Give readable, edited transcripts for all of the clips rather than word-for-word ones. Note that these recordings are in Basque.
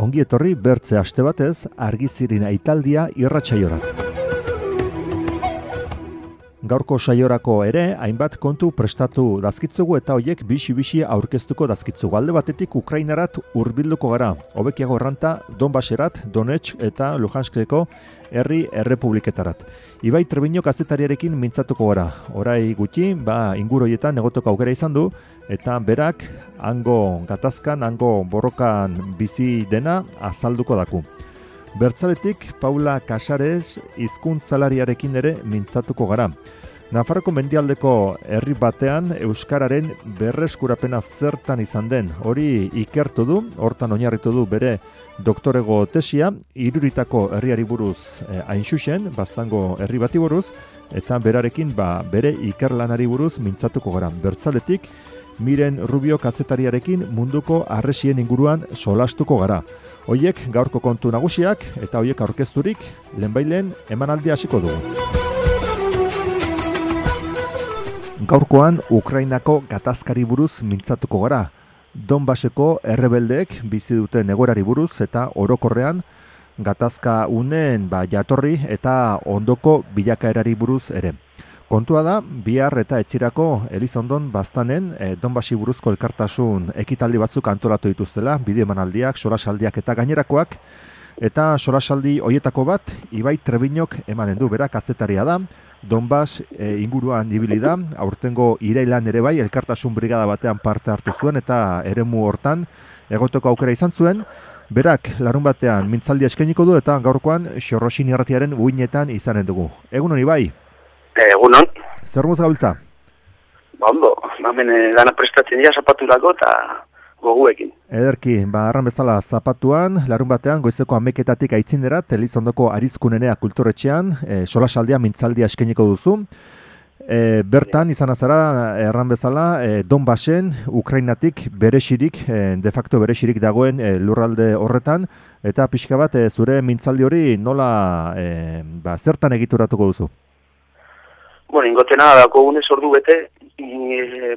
ongi etorri bertze aste batez argizirin aitaldia irratsaiora. Gaurko saiorako ere, hainbat kontu prestatu dazkitzugu eta hoiek bixi aurkeztuko dazkitzugu. Alde batetik Ukrainarat hurbilduko gara. Hobekiago erranta Donbaserat, Donetsk eta Luhanskeko herri errepubliketarat. Ibai Trebinio kazetariarekin mintzatuko gara. Orai gutxi, inguru horietan egoteko aukera izan du, eta berak hango gatazkan, hango borrokan bizi dena azalduko daku. Bertzaletik Paula Casares hizkuntzalariarekin ere mintzatuko gara. Nafarroko mendialdeko herri batean euskararen berreskurapena zertan izan den, hori ikertu du, hortan oinarritu du bere doktorego tesia, Iruritako herriari buruz hain xuxen, Baztango herri bati buruz, eta berarekin bere ikerlanari buruz mintzatuko gara. Bertzaletik Miren Rubio kazetariarekin munduko harresien inguruan solastuko gara. Hoiek gaurko kontu nagusiak eta hoiek aurkezturik lehenbailen emanaldia hasiko dugu. Gaurkoan Ukrainako gatazkari buruz mintzatuko gara. Donbaseko errebeldeek bizi duten egoerari buruz eta orokorrean gatazka unen jatorri eta ondoko bilakaerari buruz ere. Kontua da, bihar eta etxirako Elizondon Baztanen Donbasi buruzko elkartasun ekitaldi batzuk antolatu dituztela, bideo emanaldiak, solasaldiak eta gainerakoak, eta solasaldi hoietako bat Ibai Trebinok emanen du, berak kazetaria da, Donbas inguruan ibili da, aurtengo irailan ere bai, elkartasun brigada batean parte hartu zuen eta eremu hortan egoteko aukera izan zuen, berak larun batean mintzaldia eskainiko du eta gaurkoan Xorroxin irratiaren uinetan izanen dugu. Egun honi bai? Egunon. Zer muz gabiltza? Ondo, hemen dana prestatzen dira zapaturako eta goguekin. Ederki, arran bezala zapatuan, larun batean goizeko 11:00 aitzindera, Elizondoko Arizkunenea kulturetxean, solasaldia mintzaldia eskainiko duzu. Bertan izan azara, erran bezala, Donbasen, Ukrainatik berexirik, de facto berexirik dagoen lurralde horretan, eta pixka bat zure mintzaldi hori nola zertan egituratuko duzu? Bueno, ingotena dako gunez ordu bete,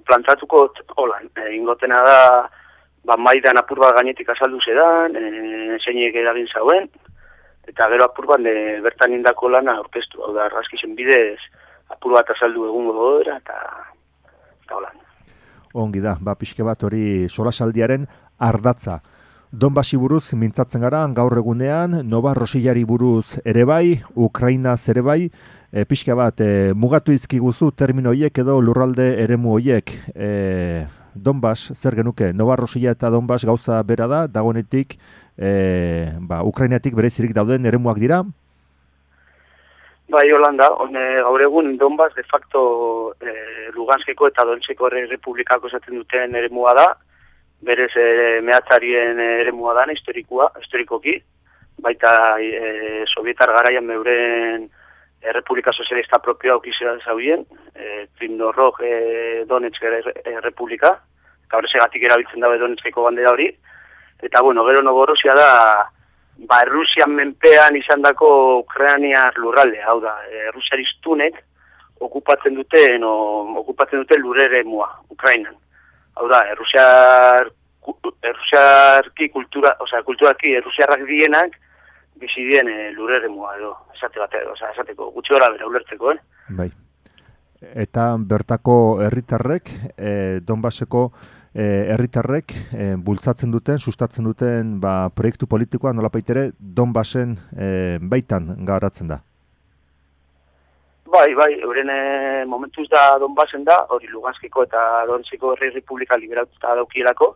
plantatuko holan. Ingotena da, maidan apur bat gainetik azaldu zedan, zeinek eragin zauen, eta gero apur bat bertan indako lana aurkeztu. Hau da, argazkizen bidez, apur bat azaldu egungo godera, eta holan. Ongi da, pixke bat hori solasaldiaren ardatza. Donbasi buruz mintzatzen gara, gaur egunean, Nova Rosillari buruz ere bai, Ukrainaz ere bai, pixka bat mugatu izkiguzu termino horiek edo lurralde eremu horiek. Donbas, zer genuke, Nova Rosilla eta Donbas gauza bera da, dagoenetik Ukrainatik berezirik dauden eremuak dira? Bai, Holanda, gaur egun Donbas de facto Luganskeko eta Donetskeko Errepublikako esaten duten eremua da, berez mehatzarien eremua dana, historikoki, baita sovietar garaian meuren Errepublika Sozialista propioa aukizera zaudien, Krivnorog Donetsk Errepublika, eta horrezegatik erabiltzen dabe Donetskeko bandera hori, eta gero Novorosia da, Errusian menpean izan dako Ukrainiar lurralde, hau da, Errusiaristunek okupatzen duten lur eremua, Ukrainan. Hau da, errusiarki kulturaki errusiarrak dienak bizi dien lureremua edo, esateko, gutxi gora bera ulertzeko, Bai. Eta bertako herritarrek, Donbaseko herritarrek bultzatzen duten, sustatzen duten proiektu politikoa nolapaitere Donbasen baitan garatzen da. Bai, euren momentuz da Donbasen da, hori Luganskeko eta Donetskeko Errepublika liberatuta daukielako,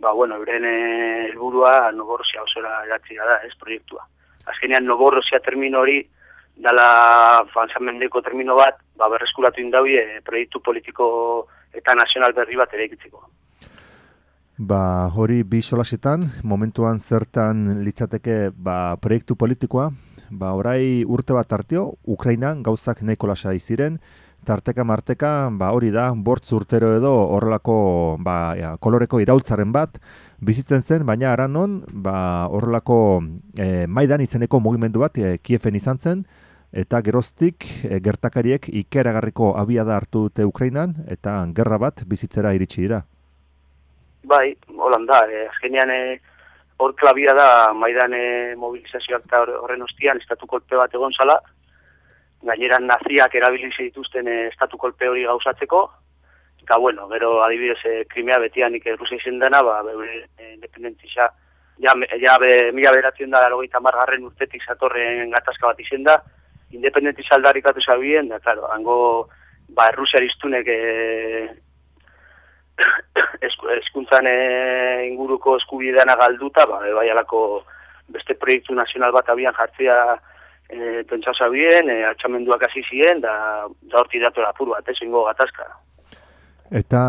euren helburua Novorosia osora eratzea da, proiektua. Azkenean Novorosia termino hori, dala fanzamendeko termino bat, berreskuratu indauie proiektu politiko eta nazional berri bat ere egitzeko. Hori bi solasetan, momentuan zertan litzateke proiektu politikoa, orai urte bat tarteo, Ukrainan gauzak nahiko lasai ziren, tarteka marteka, hori da, 5 urtero edo horrelako koloreko iraultzaren bat bizitzen zen, baina aranon, horrelako Maidan izeneko mugimendu bat Kieven izan zen, eta geroztik gertakariek ikeragarriko abiada hartu dute Ukrainan, eta gerra bat bizitzera iritsi dira. Bai, holan da, azkenean hor klabia da Maidan mobilizazioak eta horren ostian estatu kolpe bat egon zala, gainera naziak erabili dituzten estatu kolpe hori gauzatzeko, eta bueno, gero adibidez Krimea betianik Rusia izen dena, beure independentisa, mila beratzen da 90 urtetik zatorren gatazka bat izen da, independentisa aldarrikatu zabien, da, claro, hango Rusia iztunek eskuntzan inguruko eskubideana galduta, bai alako beste proiektu nazional bat abian jartzea pentsau zabien, altxamenduak hasi ziren, da horti datora apur bat, ingo gatazka. Eta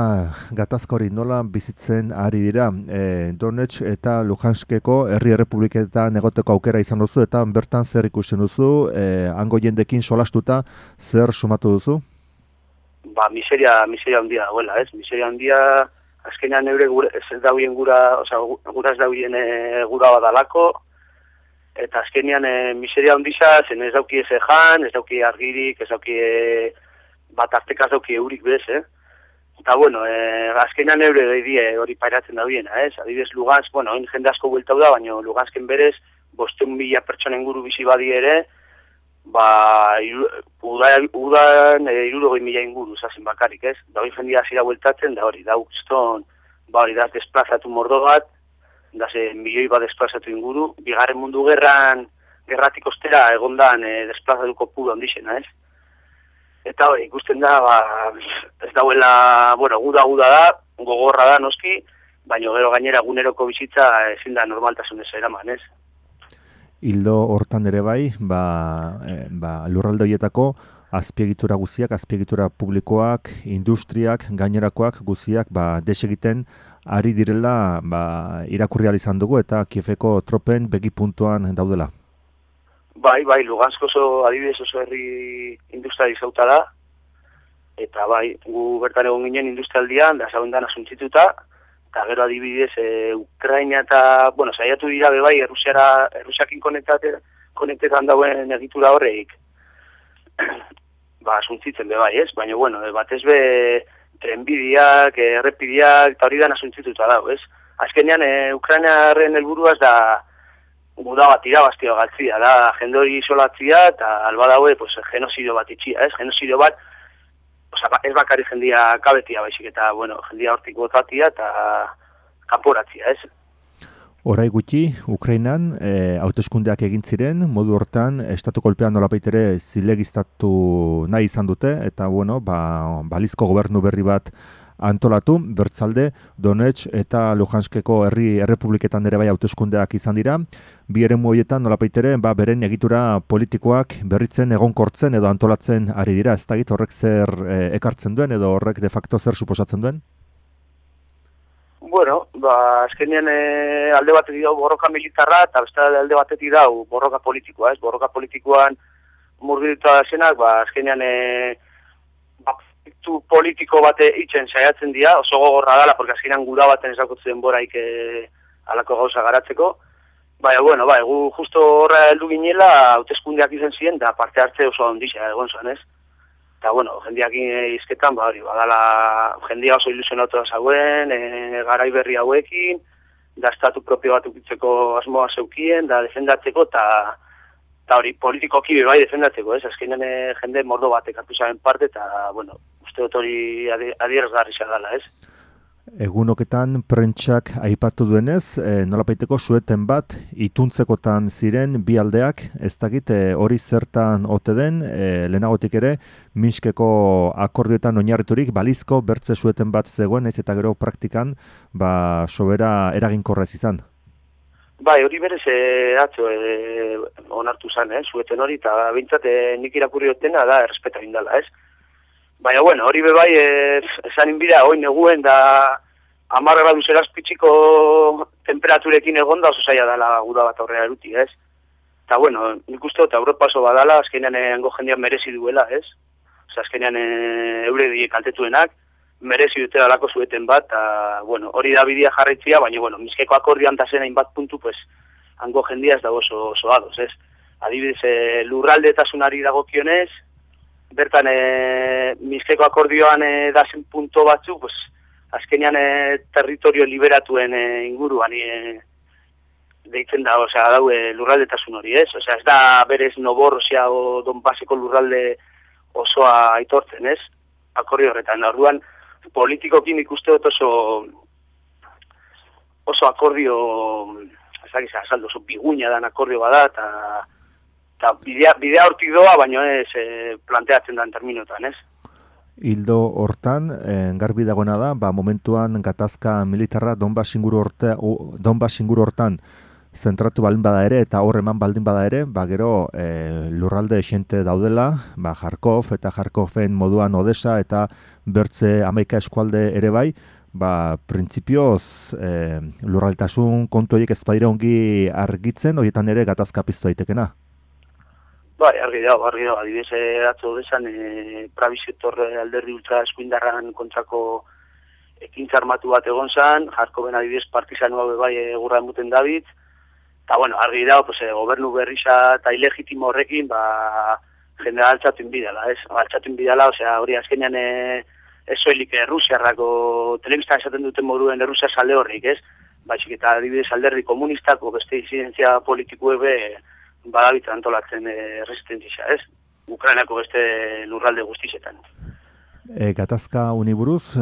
gatazka hori nola bizitzen ari dira, Donetsk eta Luhanskeko herri errepubliketan egoteko aukera izan duzu, eta bertan zer ikusten duzu, hango jendekin solastuta zer sumatu duzu? Miseria handia dagoela, ez? Miseria handia, azkenean eure ez dauen gura ez dauen gura badalako, eta azkenean miseria handia zen ez dauki ez jan, ez dauki argirik, ez dauki bat artekaz dauki eurik bez, Eta, bueno, azkenean eure daidie hori pairatzen daudiena, ez? Adibidez, Lugansk, bueno, jende asko bueltau da, baina Lugansken berez, 500.000 pertsonen guru bizi badi ere, udan 60.000 inguru zazen bakarik, ez? Da hori jendia zira bueltatzen, da hori, da ukston, hori da desplazatu mordo bat, da ze milioi bat desplazatu inguru, bigarren mundu gerratik ostera egondan desplazatuko puro handixena, ez? Eta hori, ikusten da, ez dauela, guda da, gogorra da noski, baina gero gainera eguneroko bizitza ezin da normaltasunez eraman, ez? Hildo hortan ere bai, lurralde horietako azpiegitura guziak, azpiegitura publikoak, industriak, gainerakoak guziak desegiten ari direla irakurri ahal izan dugu eta Kieveko tropen begi puntuan daudela. Bai, Lugansk oso adibidez oso herri industrializauta da, eta gu bertan egon ginen industrialdian, da zabendan asuntzituta, eta gero adibidez Ukraina eta, saiatu dira bebai, Errusiakin konektetan dauen egitura horreik, asuntzitzen bebai, ez? Baina, batez be trenbideak, errepideak, eta hori dan asuntzituta dago, ez? Azkenean, Ukrainaren helburuaz da guda bat irabaztio galtzia, da jende hori isolatzia eta alba daue genozidio bat itxia, ez? Genozidio bat, ez bakari jendia kabetia baizik eta, jendia hortik botatia eta kanporatzia, ez? Orai gutxi, Ukrainan hauteskundeak egin ziren, modu hortan, estatu kolpean nolapaitere zilegiztatu nahi izan dute, eta, balizko gobernu berri bat antolatu, bertzalde, Donetsk eta Luhanskeko herri errepubliketan ere bai hauteskundeak izan dira. Bi eremu horietan nolapaitere beren egitura politikoak berritzen egonkortzen edo antolatzen ari dira. Ez dakit horrek zer ekartzen duen edo horrek de facto zer suposatzen duen? Azkenean alde batetik dau borroka militarra eta beste alde batetik dau borroka politikoa, ez? Borroka politikoan murgiltua zenak, azkenean politiko bate itzen saiatzen dira, oso gogorra dala, porque azkenean guda baten ezakutzen denboraik alako gauza garatzeko. Gu justo horra heldu ginela, hauteskundeak izan ziren, da parte hartze oso ondisa egon zuen, ez? Eta, jendeak izketan, badala, jendia oso ilusionatu da zauen, garai berri hauekin, da estatu propio bat ukitzeko asmoa zeukien, da defendatzeko, eta hori politikoki bai defendatzeko, ez? Azkenean jende mordo batek hartu zaren parte, eta, uste dut hori adierazgarri dela, ez? Egunoketan prentsak aipatu duenez, nolabaiteko sueten bat ituntzekotan ziren bi aldeak, ez dakit hori zertan ote den, lehenagotik ere, Minskeko akordioetan oinarriturik balizko bertze sueten bat zegoen, ez eta gero praktikan, sobera eraginkorra ez izan. Hori berez atzo onartu zen, sueten hori, eta bintzat nik irakurri dutena da errespeta bindala, ez? Baina, hori bebai, esan inbira, hoi neguen da 10 gradu zerazpitxiko temperaturekin egon da oso zaila dela guda bat aurrera eruti, ez? Eta, nik uste dut Europa oso badala, azkenean hango jendean merezi duela, ez? Azkenean eure die kaltetuenak, merezi dute dalako zueten bat, eta, hori da bidea jarraitzia, baina, Minskeko akordioan ta zen hainbat puntu, hango jendia ez dago oso ados, ez? Adibidez, lurraldetasunari dagokionez, bertan Minskeko akordioan dazen punto batzu, azkenean territorio liberatuen inguruan deitzen da, osea, daue lurraldetasun hori, ez? Osea, ez da berez Novorossia o Donbaseko lurralde osoa aitortzen, ez? Akordio horretan, orduan, politikokin ikuste dut oso akordio, ez dakiz, azaldu, oso biguina dan akordio bada, eta bidea hortik doa, baino ez planteatzen dan terminotan, ez? Hildo hortan, garbi dagoena da, momentuan gatazka militarra Donbas inguru hortan zentratu baldin bada ere, eta hor eman baldin bada ere, gero lurralde xente daudela, Kharkov eta Kharkoven moduan Odessa eta bertze 11 eskualde ere bai, printzipioz lurraldetasun kontu horiek ez badira ongi argitzen, horietan ere gatazka piztu daitekena. Bai, argi dago, adibidez atzo desan Prabisetor alderdi ultra eskuindarran kontrako ekintza armatu bat egon zan, Kharkoven adibidez partizanu hau bai egurra emuten David, eta bueno, argi dago, gobernu berrisa eta ilegitimo horrekin, jendea altzatu inbidala, ez? Altzatu inbidala, osea, hori azkenean ez soilik Errusiarrako telebistan esaten duten moduen Errusia salde horrik, ez? Baizik eta adibidez alderdi komunistako beste disidentzia politikuebe badabit antolatzen resistentzia, ez? Ukrainako beste lurralde guztizetan. Gatazka honi buruz,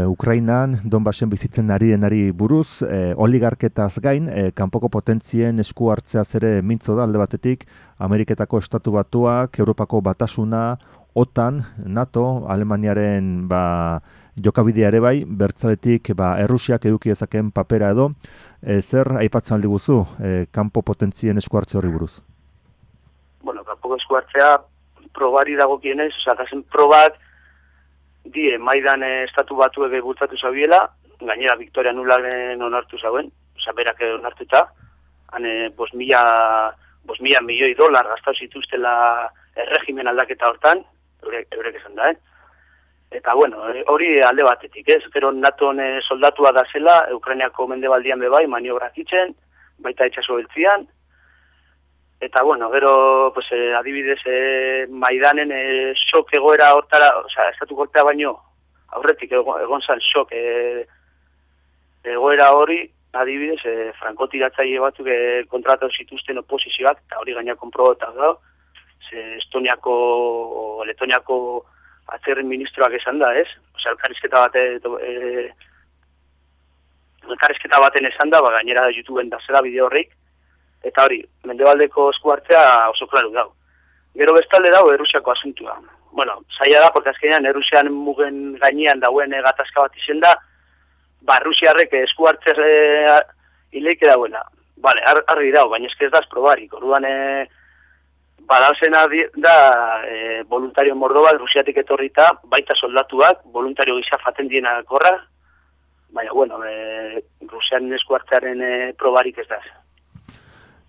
Ukrainan Donbasen bizitzen ari denari buruz, oligarketaz gain, kanpoko potentzien esku hartzeaz ere mintzo da alde batetik, Ameriketako Estatu Batuak, Europako Batasuna, OTAN, NATO, Alemaniaren jokabidea ere bai, bertzaletik Errusiak eduki dezakeen papera edo, zer aipatzen aldi guzu, kanpo potentzien esku hartze horri buruz? Bueno, kanpoko esku hartzea probari dagokienez, osea, probak die Maidan Estatu Batuek bultzatu zabiela, gainera Victoria Nulandek onartu zauen, osea, berak onartuta, han 5.000 milioi dolar gastatu zituztela erregimen aldaketa hortan, eurek esan da, Eta, bueno, hori alde batetik, ez? Gero NATOn soldatua da zela, Ukrainiako mendebaldian bebai, maniobrak itzen, baita itxaso beltzian. Eta, bueno, gero, adibidez, Maidanen sok egoera hortara, osea, estatu golpea baino, aurretik egon zan sok egoera hori, adibidez, frankotiratzaile batzuk kontratatu zituzten oposizioak, eta hori gaina konprobatua da, Estoniako, Letoniako atzerren ministroak esan da, ez? Osea, elkarrizketa baten esan da, gainera YouTubeen da zela bideo horrik, eta hori, mendebaldeko esku hartzea oso klaru dau. Gero bestalde dau Errusiako asuntua. Bueno, zaila da, porque azkenean Errusian mugen gainean dauen gatazka bat izen da, Errusiarrek esku hartzer hileike dauela. Bale, argi dau, baina ez da probarik. Orduan, badauzena da voluntario mordo bat Rusiatik etorrita, baita soldatuak, voluntario gisa faten diena korra, baina, bueno, Rusian esku hartzearen probarik ez da.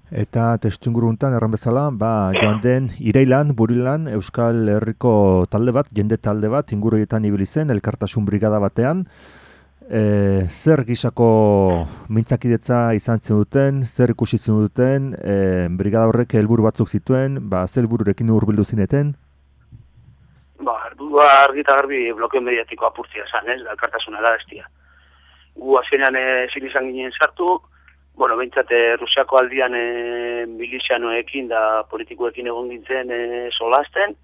Eta testuinguruntan erran bezala, joan den irailan, burilan, Euskal Herriko talde bat, jende talde bat, inguruetan ibili zen, elkartasun brigada batean. Zer gisako mintzakidetza izan zen duten, zer ikusi zen duten, brigada horrek helburu batzuk zituen, zer helbururekin hurbildu zineten? Helburua argi eta garbi blokeo mediatiko apurtzia zen, ez, elkartasuna da estia. Gu azkenean ezin izan ginen sartu, bueno, behintzat Rusiako aldian milizianoekin da politikoekin egon gintzen solasten,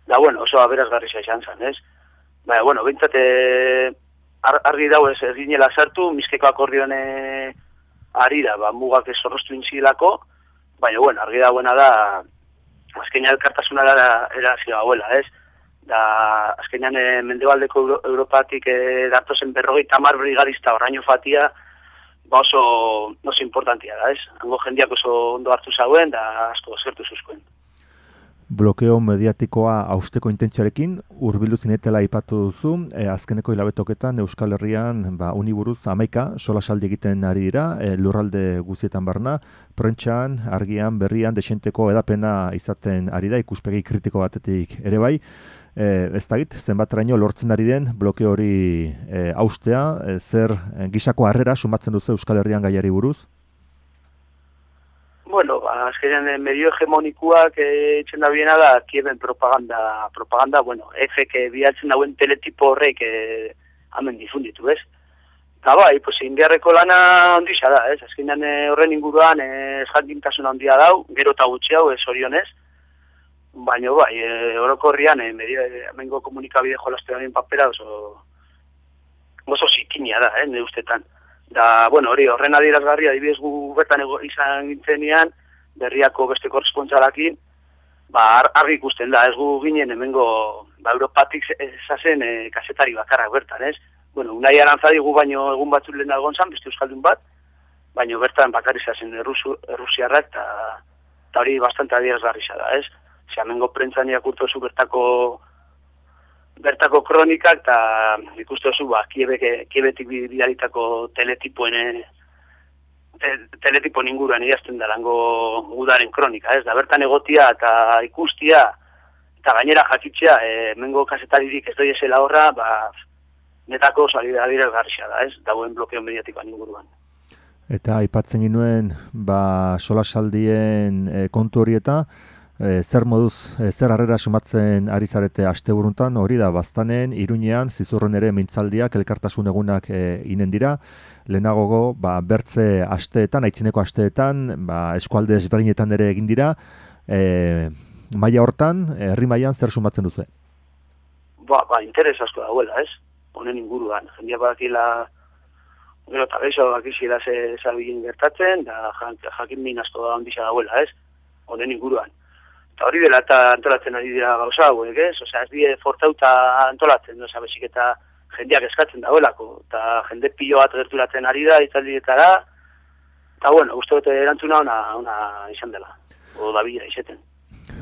da, bueno, oso aberazgarria izan zen, ez? Baina, bueno, behintzat argi dau ez ginela sartu, Minskeko akordioan ari da, mugak ez zorroztu intzilako, baina, bueno, argi dauena da, azkenean elkartasuna da erazio hauela, ez? Da, azkenean mendebaldeko Europatik datozen 50 brigadista oraino fatia, oso importantia da, ez? Hango jendeak oso ondo hartu zauen, da asko zertu zuzkoen. Blokeo mediatikoa hausteko intentzioarekin, hurbildu zinetela aipatu duzu, azkeneko hilabetoketan Euskal Herrian uniburuz 11 solasaldi egiten ari dira, lurralde guztietan barna, prentxan, argian, berrian, desenteko edapena izaten ari da, ikuspegi kritiko batetik ere bai. Ez dakit, zenbateraino lortzen ari den blokeo hori haustea, zer gisako harrera sumatzen duzu Euskal Herrian gaiari buruz? Bueno, azkenean medio hegemonikuak etxen da biena da Kieven propaganda, bueno, efek bialtzen dauen teletipo horrek hamen difunditu, ez? Eta bai, pues, indiarreko lana ondisa da, ez? Azkenean horren inguruan jakintasun handia dau, gero eta gutxi hau, orionez. Baina bai, orokorrian, hemengo komunikabide jolastearen papera oso zikinia da, nire ustetan. Da, bueno, horren adierazgarria, adibidez gu bertan izan gintzenean, berriako beste korrespontsalakin, argi ikusten da, ez gu ginen hemengo Europatik ezazen kasetari bakarrak bertan, ez? Bueno, Unai Arantzadi gu baino egun batzuk lehen algon zan, beste euskaldun bat, baino bertan bakarri zazen errusiarrak, eta hori bastante adierazgarri da, ez? Hemengo prentzan irakurtu bertako kronikak, eta ikustu zu, Kiebetik bidalitako teletipoen inguruan idazten da lango udaren kronika, ez da, bertan egotia eta ikustia, eta gainera jakitzea, hemengo kasetaririk ez doi esela horra, netako adierazgarria da, ez, dagoen blokeo mediatikoan inguruan. Eta aipatzen ginuen, solasaldien kontu hori eta, zer moduz, zer harrera sumatzen ari zarete asteburuntan, hori da, Baztanen, Iruñean, Zizurren ere mintzaldiak, elkartasun egunak inen dira, lehenagogo, bertze asteetan, aitzineko asteetan, eskualde ezberdinetan ere egin dira, maila hortan, herri mailan zer sumatzen duzu? Interes asko dagoela, ez? Honen inguruan, jendia badakila, gero eta geixo bakizila zabilin gertatzen, da jakin min asko da ondisa dagoela, ez? Honen inguruan. Eta hori dela eta antolatzen ari dira gauza hauek, ez? Osea, ez die fortauta antolatzen, bezik eta jendeak eskatzen dagoelako, eta jende pilo bat gerturatzen ari da, itzaldietara, eta bueno, uste dute erantzuna ona izan dela, dabila izeten.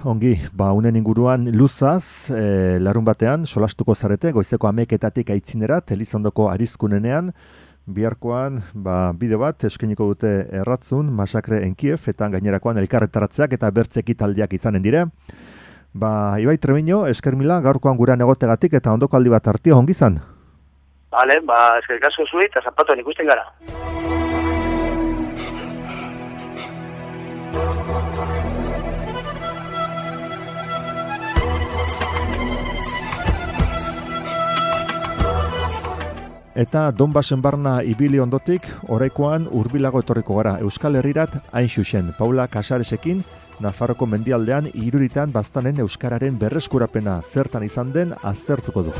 Ongi, unen inguruan luzaz, larun batean, solastuko zarete, goizeko 11:00 aitzinerat, Elizondoko Arizkunenean, biharkoan, bideo bat, eskainiko dute erratzun, Masakre en Kiev, eta gainerakoan elkarretaratzeak eta bertze ekitaldiak izanen dire. Ibai Trebiño, esker mila, gaurkoan gurean egotegatik eta ondoko aldi bat hartio, ongi izan? Bale, eskerik asko zui, eta zapatuan ikusten gara. Eta Donbasen barna ibili ondotik, oraikoan hurbilago etorriko gara. Euskal Herrirat hain xuxen. Paula Casaresekin, Nafarroko mendialdean Iruritan Baztanen euskararen berreskurapena zertan izan den aztertuko du.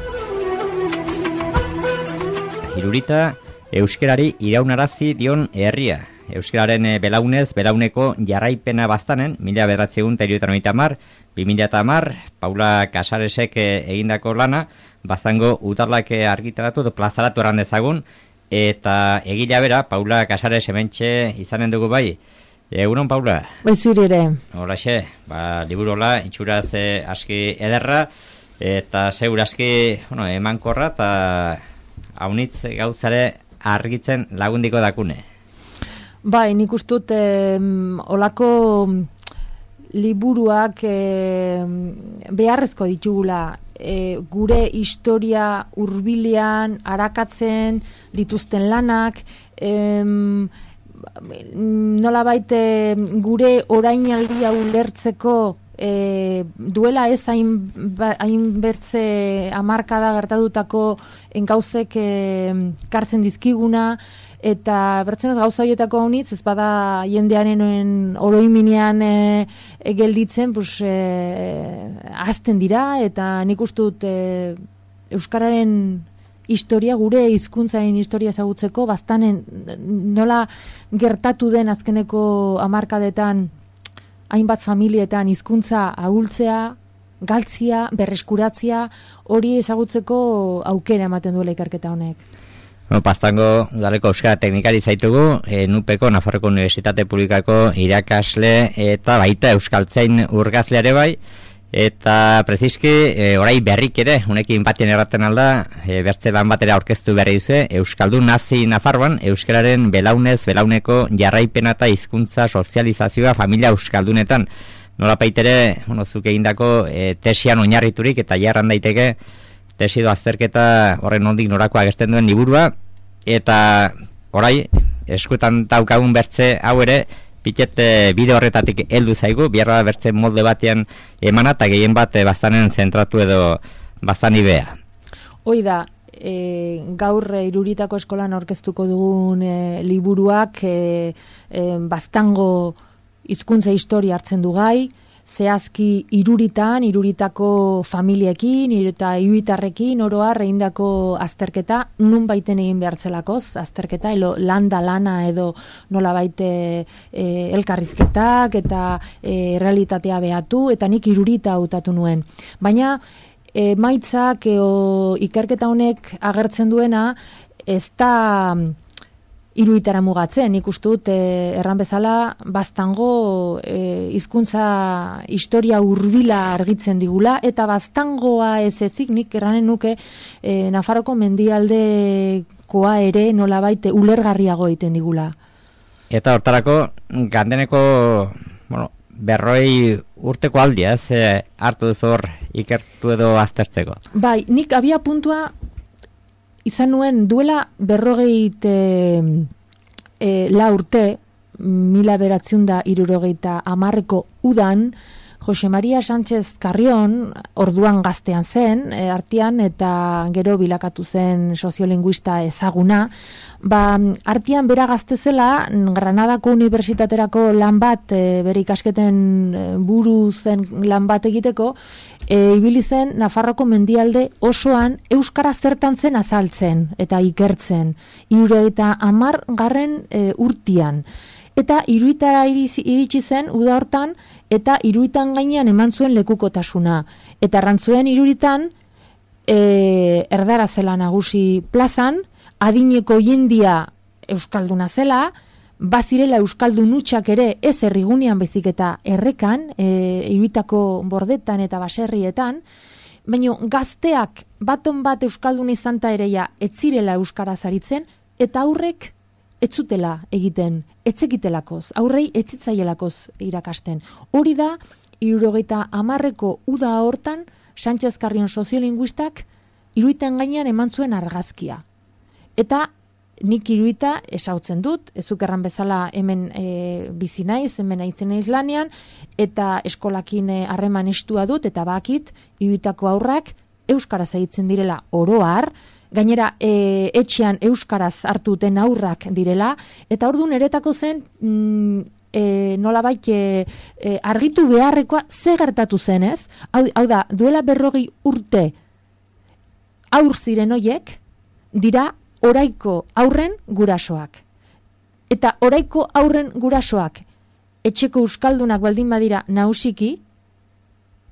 Irurita euskarari iraunarazi dion herria. Euskararen belaunez, belauneko jarraipena Baztanen, 1970, 2010, Paula Casaresek egindako lana, Baztango utarlak argitaratu edo plazaratu eran dezagun, eta egila bera, Paula Casares hementxe izanen dugu bai. Egunon, Paula? Zuri ere. Horaxe, liburola, itxuraz aski ederra, eta zeur aski emankorra, eta haunitz gauzare argitzen lagundiko dakune. Bai, nik ustut olako liburuak beharrezko ditugula, gure historia hurbilean arakatzen dituzten lanak, nolabait gure orainaldia ulertzeko duela ez hain bertze hamarkada gertatutako gauzek kartzen dizkiguna, eta bertzenez gauza horietako haunitz, ez bada jendearen oroiminean gelditzen, azten dira, eta nik ustut euskararen historia, gure hizkuntzaren historia ezagutzeko, Baztanen nola gertatu den azkeneko hamarkadetan hainbat familietan hizkuntza ahultzea, galtzia, berreskuratzea, hori ezagutzeko aukera ematen duela ikerketa honek. Baztango udaleko euskara teknikari zaitugu, NUPeko, Nafarroko Unibertsitate Publikako irakasle eta baita euskaltzain urgazleare bai, eta preziski orai berrik ere, unekin batien erraten alda, bertze lan batera aurkeztu berri duze, Euskaldun nazi Nafarroan, euskararen belaunez, belauneko jarraipena eta hizkuntza sozializazioa familia euskaldunetan. Nola paitere, zuk egindako tesian oinarriturik eta jarran daiteke, tesido azterketa horren nondik norakoa agertzen duen liburua, eta orai, eskutan daukagun bertze hau ere, piket bide horretatik heldu zaigu, biarra bertze molde batean emana, eta gehien bat Baztanen zentratu edo Baztani bea. Hoi da, gaur Iruritako eskolan aurkeztuko dugun liburuak baztango hizkuntza historia hartzen du gai, zehazki Iruritako familiekin eta iruitarrekin oroar egindako azterketa, nun baiten egin behartzelakoz, azterketa, landa lana edo nola baite elkarrizketak eta realitatea behatu, eta nik Irurita hautatu nuen. Baina, maitzak ikerketa honek agertzen duena, ez da Iruitara mugatzen, nik uste dut erran bezala baztango hizkuntza historia hurbila argitzen digula, eta baztangoa ez ezik nik erranen nuke Nafarroko mendialdekoa ere nolabait ulergarriago egiten digula. Eta hortarako gandeneko, berroi urteko aldia, hartu duzu hor ikertu edo aztertzeko? Bai, nik abia puntua izan nuen duela 54 urte, 1970ko udan, Jose Maria Sánchez Carrion, orduan gaztean zen, artean, eta gero bilakatu zen soziolinguista ezaguna, artean bera gazte zela, Granadako Unibertsitaterako lan bat, bere ikasketen buru zen lan bat egiteko, ibili zen Nafarroko mendialde osoan euskara zertan zen azaltzen eta ikertzen, 70. Urtean. Eta Iruitara iritsi zen uda hortan, eta Iruitan gainean eman zuen lekukotasuna. Eta arrantzuen Iruritan, erdara zela nagusi plazan, adineko jendia euskalduna zela, bazirela euskaldun hutsak ere ez herrigunean bezik eta errekan, Iruitako bordetan eta baserrietan, baina gazteak baton bat euskaldun izanta ereia etzirela euskara zaritzen, eta aurrek ez zutela egiten, etzekitelakoz, aurrei etzitzaielakoz irakasten. Hori da, 70ko uda hortan, Sánchez Carrion soziolinguistak Iruiten gainean eman zuen argazkia. Eta nik Iruita esautzen dut, ezuk erran bezala hemen bizi naiz, hemen aitzen naiz lanean, eta eskolakin harreman estua dut, eta bakit, Iruitako aurrak euskaraz egiten direla oroar, gainera etxean euskaraz hartu duten aurrak direla, eta orduan eretako zen nolabait argitu beharrekoa ze gertatu zen, ez? Hau da, duela 40 urte aur ziren hoiek dira oraiko aurren gurasoak. Eta oraiko aurren gurasoak etxeko euskaldunak baldin badira nausiki,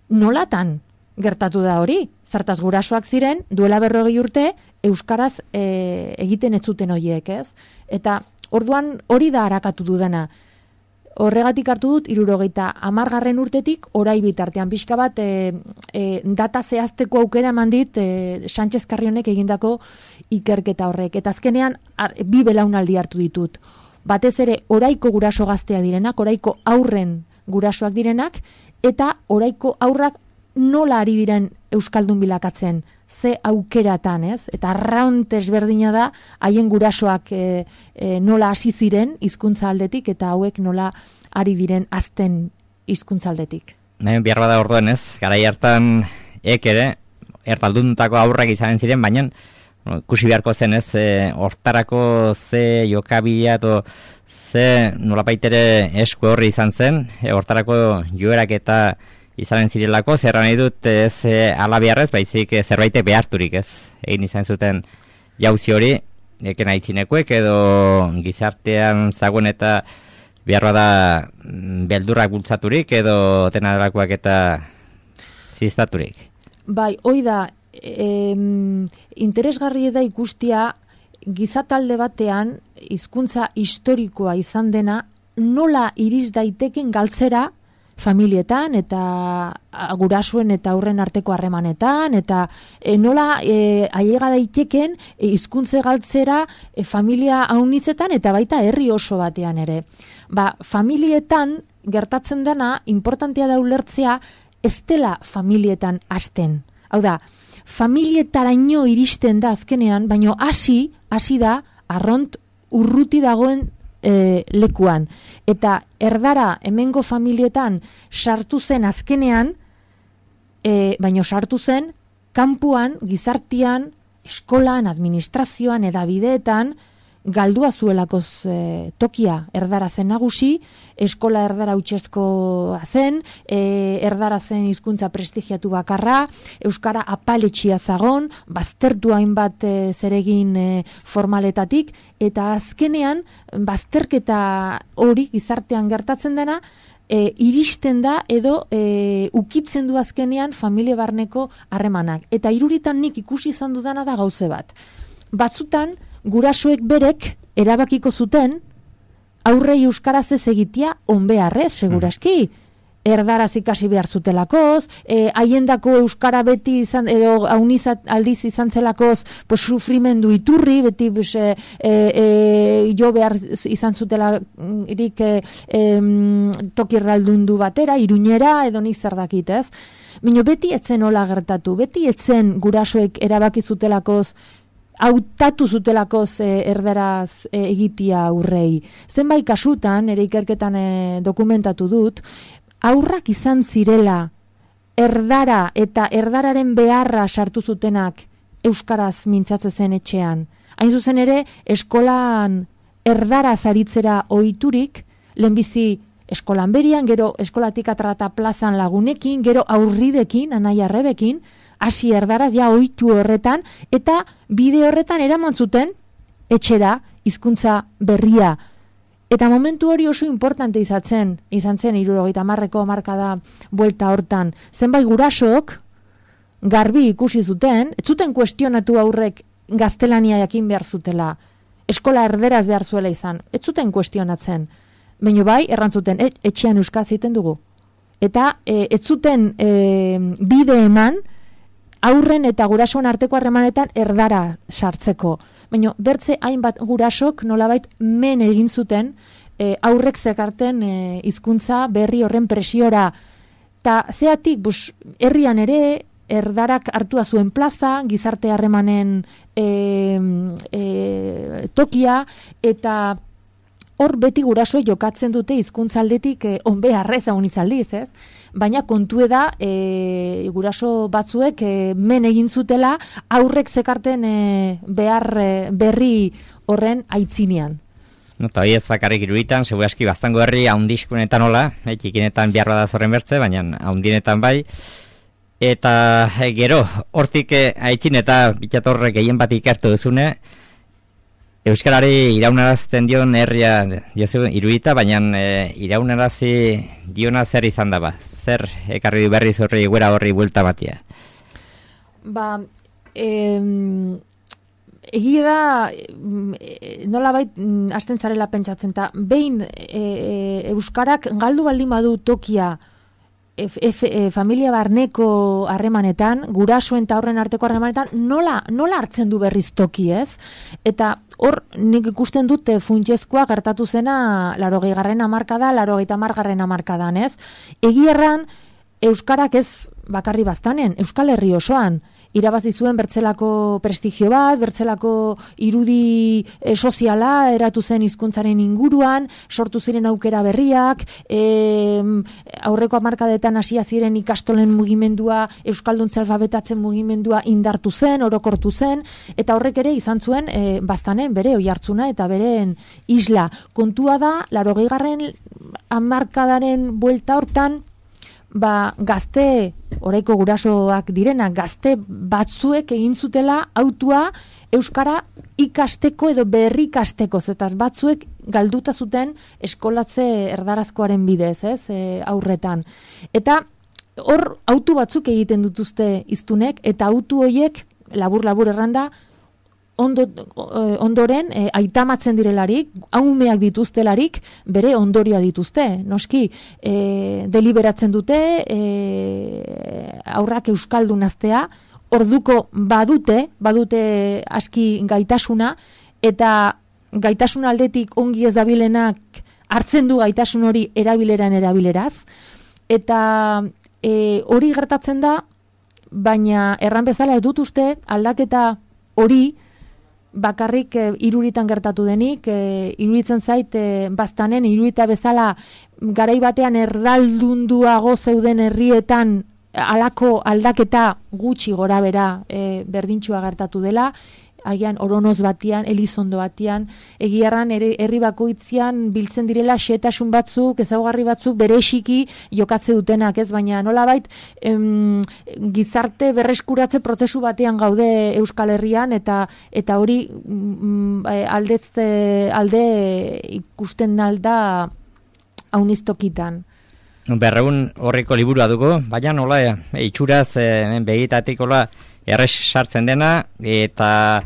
nolatan gertatu da hori? Zartaz gurasoak ziren, duela 40 urte, euskaraz egiten ez zuten horiek, ez? Eta orduan hori da harakatu dudana. Horregatik hartu dut, 70. urtetik, orai bitartean pixka bat data zehazteko aukera eman dit Sánchez Carrionek egindako ikerketa horrek. Eta azkenean, bi belaunaldi hartu ditut. Batez ere, oraiko guraso gaztea direnak, oraiko aurren gurasoak direnak, eta oraiko aurrak nola ari diren euskaldun bilakatzen, ze aukeratan, ez? Eta arraunt ezberdina da, haien gurasoak nola hasi ziren hizkuntza aldetik, eta hauek nola ari diren azten hizkuntza aldetik. Behar bada orduan, ez? Garai hartan ere, erdalduntako aurrak izanen ziren, baina ikusi beharko zen, ez? Hortarako ze jokabidea edo ze nolapaitere esku horri izan zen, hortarako joerak eta izanen zirelako, zerra nahi dut ez alabiarrez, baizik zerbait beharturik, ez? Egin izan zuten jauzi hori, eken aitzinekuek edo gizartean zagoen eta behar bada beldurrak bultzaturik edo dena delakoak eta ziztaturik. Bai, hoi da, interesgarri da ikustia gizatalde batean hizkuntza historikoa izan dena nola iriz daiteken galtzera familietan eta gurasoen eta aurren arteko harremanetan eta nola ailega daiteken hizkuntze galtzera familia haunitzetan eta baita herri oso batean ere. Familietan gertatzen dena importantea da ulertzea ez dela familietan hasten. Hau da, familietaraino iristen da azkenean, baino hasi da arront urruti dagoen lekuan. Eta erdara hemengo familietan sartu zen azkenean, baino sartu zen kanpuan, gizartian, eskolan, administrazioan, edabideetan, galdua zuelakoz tokia erdara zen nagusi, eskola erdara utxezkoa zen, erdara zen hizkuntza prestigiatu bakarra, euskara apaletxia zagon, baztertu hainbat zeregin formaletatik, eta azkenean bazterketa hori gizartean gertatzen dena, iristen da edo ukitzen du azkenean familia barneko harremanak. Eta iruritan nik ikusi izan dudana da gauze bat. Batzutan, gurasoek berek erabakiko zuten aurrei euskaraz ez egitea onbeharrez, seguraski. Erdaraz ikasi behar zutelakoz, haiendako euskara beti izan, edo haunizat aldiz izan zelakoz, pues, sufrimendu iturri, beti jo behar izan zutelarik tokirraldundu batera, Iruñera, edo nik zer dakit, ez? Baina beti etzen hola gertatu, beti etzen gurasoek erabaki zutelakoz, hautatu zutelakoz erdaraz egitea aurrei. Zenbait kasutan, ere ikerketan dokumentatu dut, aurrak izan zirela erdara eta erdararen beharra sartu zutenak euskaraz mintzatzen zen etxean. Hain zuzen ere, eskolan erdaraz aritzera ohiturik, lehenbizi eskolan berian, gero eskolatik atrata plazan lagunekin, gero aurridekin, anaia arrebekin, hasi erdaraz ja ohitu horretan, eta bide horretan eraman zuten etxera hizkuntza berria. Eta momentu hori oso importante izan zen 70ko hamarkada buelta hortan. Zenbait gurasok garbi ikusi zuten, ez zuten kuestionatu aurrek gaztelania jakin behar zutela, eskola erderaz behar zuela izan, ez zuten kuestionatzen. Baina bai, errantzuten, etxean euskaz egiten dugu. Eta ez zuten bide eman, aurren eta gurasoen arteko harremanetan erdara sartzeko. Baina bertze hainbat gurasok nolabait men egin zuten aurrek zekarten hizkuntza berri horren presiora. Ta zeatik, herrian ere erdarak hartua zuen plaza, gizarte harremanen tokia, eta hor beti gurasoek jokatzen dute hizkuntza aldetik onbeharrez izaldiz, ez? Baina kontu da guraso batzuek men egin zutela aurrek zekarten behar berri horren aitzinean. Eta hori ez bakarrik iruditan, segurazki bastango herri haundizkunetan hola, txikinetan behar bada zorren bertze, baina haundinetan bai. Eta gero, hortik aitzin eta bitxatorrek gehien bat ikertu duzune, euskarari iraunarazten dion herria diozu irudita, baina iraunarazi diona zer izan daba? Zer ekarri du berriz horri guera horri buelta batia? Egia da, nolabait hasten zarela pentsatzen, eta behin euskarak galdu baldin badu tokia familia barneko harremanetan, gurasoen eta horren arteko harremanetan, nola hartzen du berriz toki, ez? Eta hor nik ikusten dut funtsezkoa gertatu zena 80. hamarkada, 90. hamarkadan, ez? Egierran euskarak ez bakarri baztanen, Euskal Herri osoan irabazi zuen bertzelako prestigio bat, bertzelako irudi soziala eratu zen hizkuntzaren inguruan, sortu ziren aukera berriak, aurreko hamarkadetan hasia ziren ikastolen mugimendua, euskalduntze alfabetatzen mugimendua indartu zen, orokortu zen, eta horrek ere izan zuen baztanen bere oihartzuna eta beren isla. Kontua da, 80. hamarkadaren buelta hortan, gazte, oraiko gurasoak direna, gazte batzuek egin zutela autua euskara ikasteko edo berri ikasteko, zetaz batzuek galduta zuten eskolatze erdarazkoaren bidez, ez, aurretan. Eta hor autu batzuk egiten dituzte hiztunek, eta autu horiek, labur erranda, ondoren aitamatzen direlarik, haumeak dituztelarik, bere ondorioa dituzte. Noski, deliberatzen dute, aurrak euskaldun aztea, orduko badute aski gaitasuna, eta gaitasun aldetik ongi ez dabilenak hartzen du gaitasun hori erabileraz, eta hori gertatzen da, baina erran bezala ez dut uste aldaketa hori bakarrik iruritan gertatu denik, iruritzen zait baztanen irurita bezala garai batean erdaldunduago zeuden herrietan halako aldaketa gutxi gora bera berdintxua gertatu dela, agian Oronoz batian, Elizondo batian, egiarran herri bakoitzean biltzen direla xehetasun batzuk, ezaugarri batzuk bereziki jokatze dutenak, ez? Baina nolabait gizarte berreskuratze prozesu batean gaude Euskal Herrian eta hori alde ikusten alda aunistokitan. Berreun horriko liburua dugu, baina nola itxuraz begitatik errex sartzen dena, eta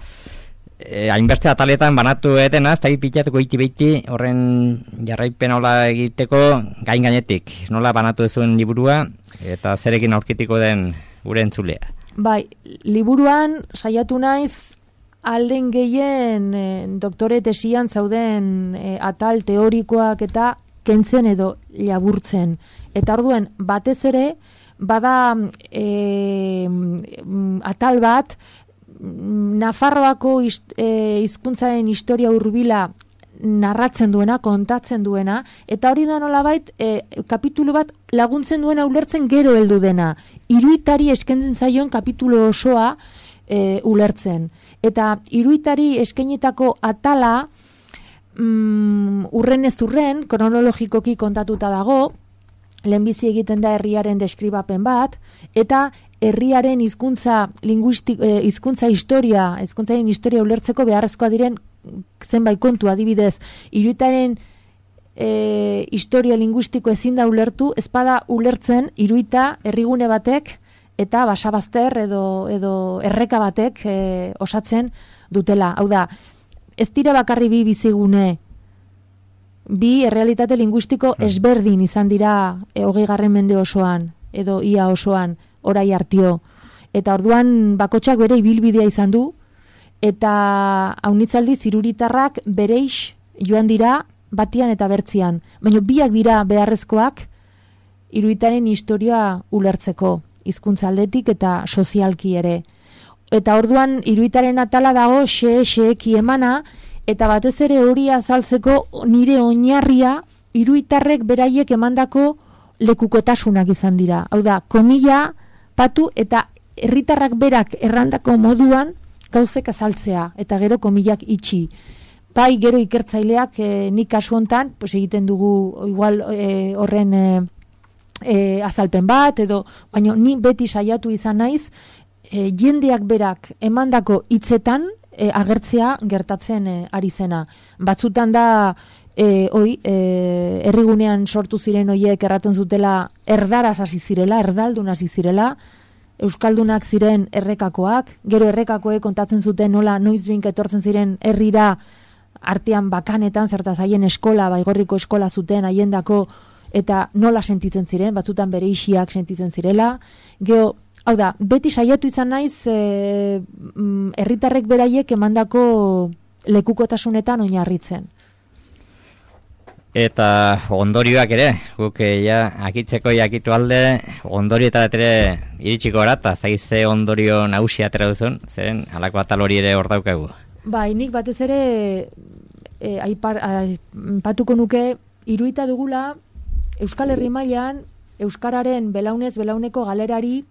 hainbeste ataletan banatu dena, ez da pitatuko iti horren jarraipen nola egiteko gainetik. Nola banatu duzuen liburua, eta zerekin aurkitiko den gure entzulea. Bai, liburuan saiatu naiz alden gehien doktore tesian zauden atal teorikoak eta kentzen edo laburtzen. Eta orduen batez ere, bada atal bat Nafarroako hizkuntzaren historia hurbila narratzen duena, kontatzen duena, eta hori da nolabait kapitulu bat laguntzen duena ulertzen gero heldu dena. Iruitari eskentzen zaion kapitulu osoa ulertzen. Eta iruitari eskenitako atala urren ez urren, kronologikoki kontatuta dago, lehenbizi egiten da herriaren deskribapen bat, eta herriaren hizkuntzaren historia ulertzeko beharrezkoa diren zenbait kontu, adibidez, iruitaren historia linguistiko ezin da ulertu, ezpada ulertzen iruita herrigune batek eta basabazter edo erreka batek osatzen dutela. Hau da, ez dira bakarri bi bizigune, bi errealitate linguistiko ezberdin izan dira 20. mende osoan, edo ia osoan, orai hartio. Eta orduan bakotxak bere ibilbidea izan du, eta haunitzaldi ziruritarrak bereix joan dira batian eta bertzian. Baina biak dira beharrezkoak iruitaren historia ulertzeko, hizkuntza aldetik eta sozialki ere. Eta orduan iruitaren atala dago xeeki emana, eta batez ere hori azaltzeko nire oinarria iruitarrek beraiek emandako lekukotasunak izan dira. Hau da, komila patu eta herritarrak berak errandako moduan gauzek azaltzea, eta gero komilak itxi. Bai, gero ikertzaileak nik kasu hontan, pues egiten dugu igual horren azalpen bat, edo, baina ni beti saiatu izan naiz, jendeak berak emandako hitzetan agertzea gertatzen ari zena. Batzutan da herrigunean sortu ziren hoiek erraten zutela erdaraz hasi zirela, erdaldun hasi zirela, euskaldunak ziren errekakoak, gero errekakoek kontatzen zuten nola noizbink etortzen ziren herrira artean bakanetan, zertaz haien eskola, Baigorriko eskola zuten haiendako, eta nola sentitzen ziren, batzutan bere isiak sentitzen zirela. Gero, hau da, beti saiatu izan naiz herritarrek beraiek emandako lekukotasunetan oinarritzen. Eta ondorioak ere, guk akitzeko jakitu alde, ondorioetat ere iritsiko gara, eta zaize ondorio nagusia atera duzun, zeren halako atal hori ere hor daukagu. Bai, nik batez ere aipatuko nuke, iruita dugula Euskal Herri mailan euskararen belaunez belauneko galerari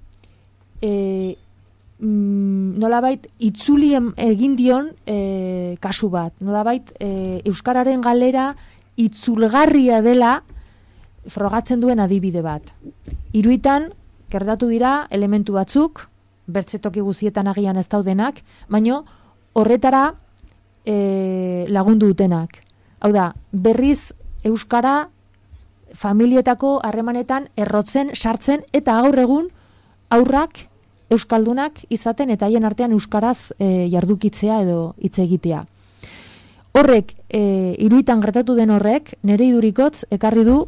nolabait itzuli egin dion kasu bat. Nolabait euskararen galera itzulgarria dela frogatzen duen adibide bat. Iruitan gertatu dira elementu batzuk, bertzetoki guzietan agian ez daudenak, baino horretara lagundu dutenak. Hau da, berriz euskara familietako harremanetan errotzen, sartzen, eta gaur egun aurrak euskaldunak izaten eta haien artean euskaraz jardukitzea edo hitz egitea. Horrek, iruitan gertatu den horrek, nire idurikotz ekarri du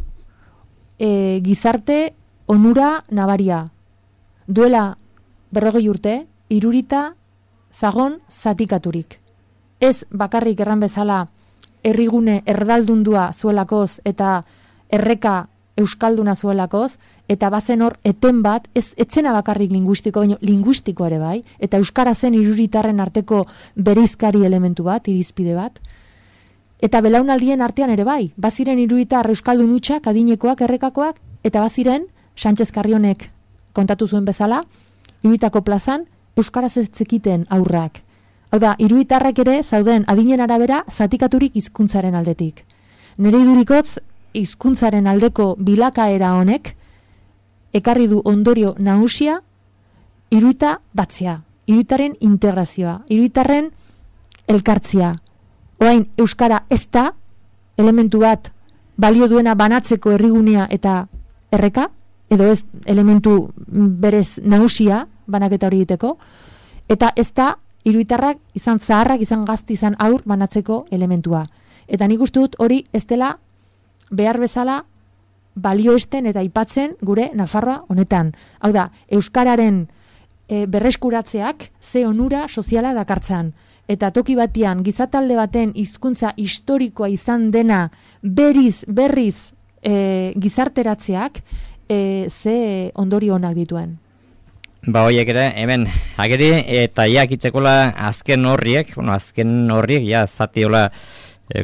gizarte onura nabaria. Duela 40 urte, irurita zagon zatikaturik. Ez bakarrik erran bezala herrigune erdaldundua zuelakoz eta erreka euskalduna zuelakoz, eta bazen hor eten bat, etzena bakarrik linguistiko, baina linguistiko ere bai, eta euskara zen iruritarren arteko bereizkari elementu bat, irizpide bat, eta belaunaldien artean ere bai, baziren iruritar euskaldun hutsak, adinekoak, errekakoak, eta baziren Sánchez Carrionek kontatu zuen bezala, Iruitako plazan euskaraz ez zekiten aurrak. Hau da, iruitarrak ere zauden adinen arabera zatikaturik hizkuntzaren aldetik. Nere idurikotz hizkuntzaren aldeko bilakaera honek ekarri du ondorio nagusia iruita batzea, iruitaren integrazioa, iruitarren elkartzia. Orain euskara ez da elementu bat balio duena banatzeko herrigunea eta erreka, edo ez elementu berez nagusia banaketa hori egiteko, eta ez da iruitarrak izan zaharrak, izan gazti, izan aur banatzeko elementua. Eta nik uste dut hori ez dela behar bezala balioesten eta aipatzen gure Nafarroa honetan. Hau da, euskararen berreskuratzeak ze onura soziala dakartzan. Eta toki batian, gizatalde baten hizkuntza historikoa izan dena berriz gizarteratzeak ze ondorio onak dituen. Ba, hoiek ere, hemen, ageri, eta jakitzekola azken horriek, ja, zatiola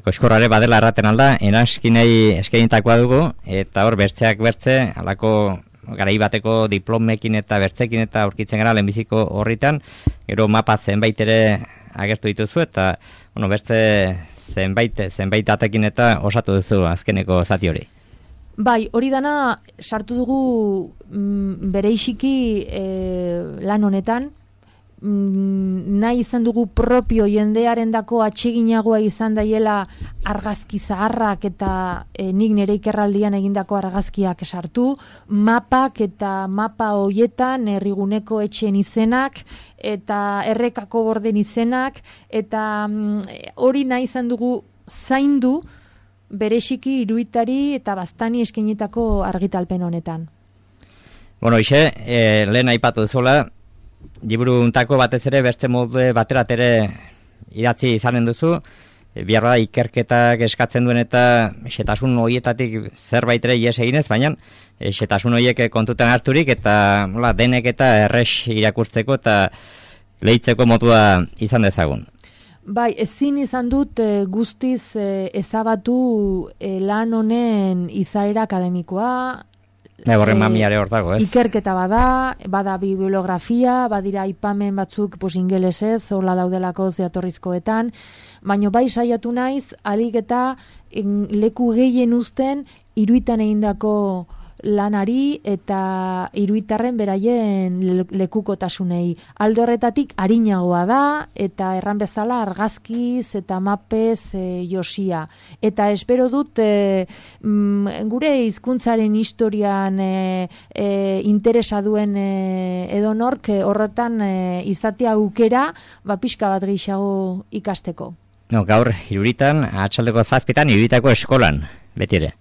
koskorrare badela erraten alda, enaskinei eskainitakoa dugu, eta hor bertzeak bertze, alako garai bateko diplomekin eta bertzekin eta aurkitzen gara lehenbiziko horritan, gero mapa zenbait ere agertu dituzu, eta bertze zenbait atekin eta osatu duzu azkeneko zati hori. Bai, hori dana sartu dugu bereiziki lan honetan, nahi izan dugu propio jendearendako atseginagoa izan daiela argazki zaharrak eta nik nire ikerraldian egindako argazkiak sartu, mapak eta mapa hoietan herriguneko etxeen izenak eta errekako borden izenak, eta hori nahi izan dugu zaindu bereziki iruitari eta baztani eskainitako argitalpen honetan. Bueno, lehen aipatu duzuela, liburu untako batez ere beste molde baterat ere idatzi izanen duzu, bihar da ikerketak eskatzen duen eta xetasun horietatik zerbait ere ies eginez, baina xetasun horiek kontutan harturik eta denek eta errex irakurtzeko eta lehitzeko modua izan dezagun. Bai, ezin izan dut guztiz ezabatu lan honen izaera akademikoa. Horren mamiare hor dago, ez? Ikerketa bada bibliografia, badira aipamen batzuk ingelesez, hola daudelako zeatorrizkoetan, baino bai saiatu naiz, alik eta leku gehien uzten iruitan egindako lanari eta iruitarren beraien lekukotasunei. Alde horretatik arinagoa da eta erran bezala argazkiz eta mapez josia. Eta espero dut gure hizkuntzaren historian interesa duen edonork horretan izatea aukera pixka bat gehiago ikasteko. Gaur Iruritan, atxaldeko 7 Iruitako eskolan, beti ere.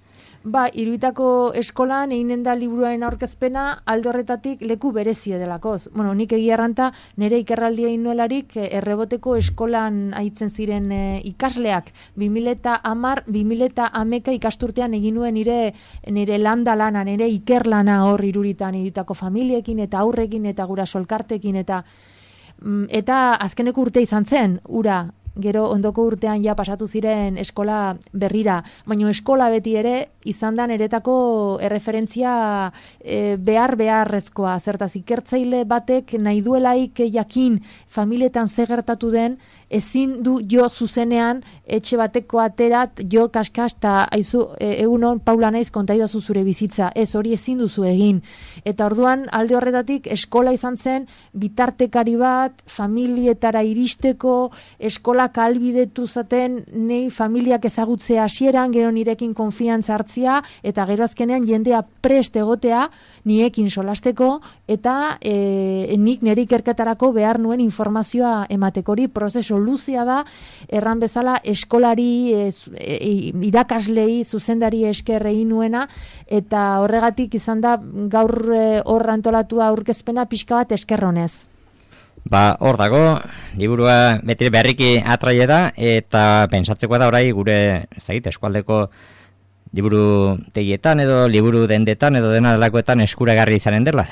Iruitako eskolan eginen da liburuaren aurkezpena alde horretatik leku berezie delakoz. Bueno, nik egia erranta nire ikerraldia innuelarik erreboteko eskolan aitzen ziren ikasleak. 2010-2011 ikasturtean egin nuen nire landa lana, nire ikerlana hor Iruritan, Irutako familiekin eta aurrekin eta guraso elkartekin eta azkeneko urte izan zen, ura. Gero ondoko urtean ja pasatu ziren eskola berrira, baina eskola beti ere izan da niretako erreferentzia beharrezkoa. Zertaz ikertzaile batek nahi duelaik jakin familietan ze gertatu den, ezin du jo zuzenean etxe bateko aterat jo kaskas eta aizu egunon Paula naiz kontaidazu zure bizitza. Ez, hori ezin duzu egin. Eta orduan alde horretatik eskola izan zen bitartekari bat, familietara iristeko, eskola kalbidetu zaten nei familiak ezagutzea hasieran, gero nirekin konfiantza hartzia eta gero azkenean jendea prest egotea niekin solasteko eta nik nire ikerketarako behar nuen informazioa emateko. Hori prozesu luzea da, erran bezala eskolari, irakaslei, zuzendari esker egin nuena eta horregatik izan da gaur hor antolatua aurkezpena pixka bat eskerronez. Hor dago, liburua beti berriki atraie da eta pentsatzeko da orai gure eskualdeko liburu tegietan edo liburu dendetan edo dena delakoetan eskuragarri izanen dela.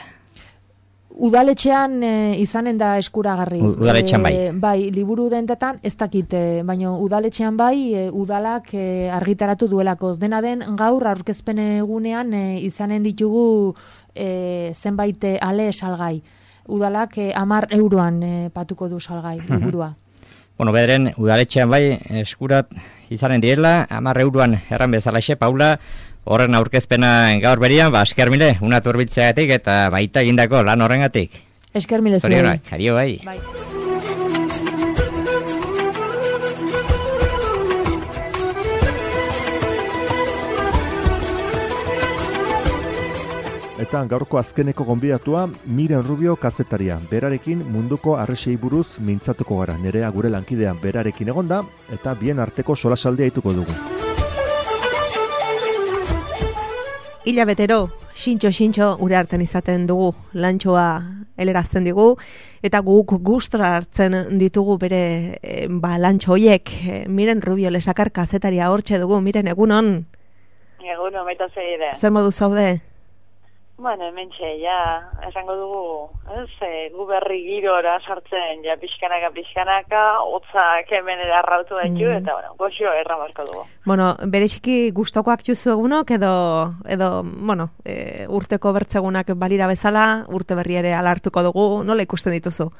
Udaletxean izanen da eskuragarri. Udaletxean bai. Bai, liburu dendetan ez dakit, baina udaletxean bai, udalak argitaratu duelako. Dena den gaur aurkezpen egunean izanen ditugu zenbait ale salgai. Udalak 10 euroan patuko du salgai liburua. Bueno, bederen udaletxean bai eskurat izanen direla, 10 euroan erran bezalaxe, Paula, horren aurkezpena gaur berian, esker mile, una turbiltzeagatik eta baita egindako lan horrengatik. Esker mile zuei. Zorionak, adio bai. Bai. Eta gaurko azkeneko gonbidatua Miren Rubio kazetaria. Berarekin munduko harresiei buruz mintzatuko gara. Nerea gure lankidean berarekin egonda eta bien arteko solasaldia dituko dugu. Hilabetero, xintxo ure hartzen izaten dugu, lantxoa helerazten digu, eta guk gustora hartzen ditugu bere lantxo hoiek. Miren Rubio lesakar kazetaria hortxe dugu, Miren, egunon? Egunon, baita zeire. Zer modu zaude? Bueno, hementxe, ja, esango dugu, gu berri girora sartzen, ja, pixkanaka, hotzak hemen edarrautu daitu, eta, bueno, goxio erramarko dugu. Bueno, bereziki gustokoak juzu egunok, edo bueno, urteko bertzegunak balira bezala, urte berri ere alartuko dugu, nola ikusten dituzu?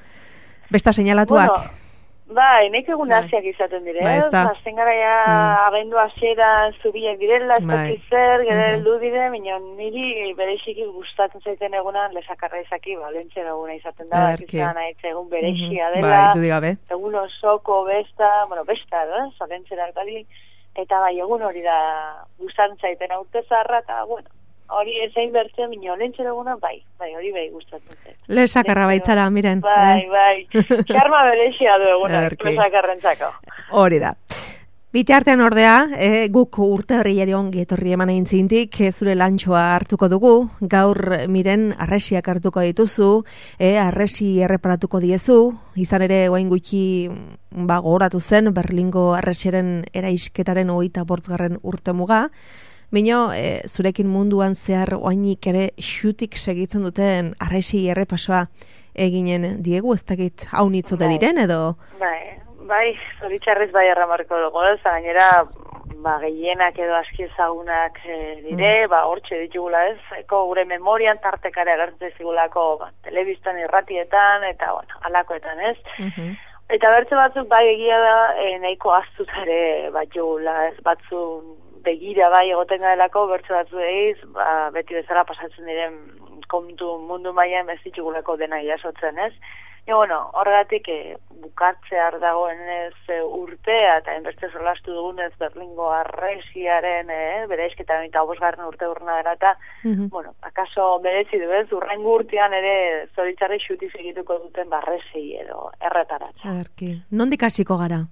Besta seinalatuak? Bueno, bai, nek egun hasiak izaten dire, azten gara ja abendu hasieran zubiak direla, ez dakit zer, gero heldu dire, minon niri bereziki gustatzen zaiten egunan lesakarra izaki, Valentzia eguna izaten da, izan haitz egun berezia dela, egun osoko besta, Valentzia erkali, eta bai, egun hori da gustatzen zaiten aurte zarra, eta bueno, hori ezain bertzen, minio, lentzera eguna, bai, hori bai gustatzen zen. Lesakarra baitzara, Miren. Bai, xarma berexia du eguna, lesakarrentzako. Hori da. Bitartean ordea, guk urte horri ongi etorri eman egin zintik, zure lantxoa hartuko dugu, gaur Miren arresiak hartuko dituzu, arresi erreparatuko diezu, izan ere guain gutxi gogoratu zen Berlingo arresiaren eraisketaren 25. urtemuga, Bino, zurekin munduan zehar oainik ere xutik segitzen duten arresi errepasoa eginen diegu, ez dakit hau nitzote diren edo? Bai, zoritxarrez bai erramarko dugu, gainera gehienak edo aski ezagunak dire, hortxe ditugula ez, gure memorian tartekare agertzen zigulako telebistan irratietan, eta alakoetan ez. Eta bertze batzuk bai egia da, nahiko aztutare batugula ez, batzun begira bai egoten garelako, bertze batzu egiz, beti bezala pasatzen diren kontu mundu mailan ez ditugulako dena jasotzen ez. Horregatik bukatzear dagoen ez urtea eta enbeste solastu dugunez Berlingo arresiaren bereizketan eta 5. urte urna dela eta, akaso merezi du ez, urrengo urtean ere zoritzarri xuti segituko duten barresi edo erretaratza. Nondik hasiko gara?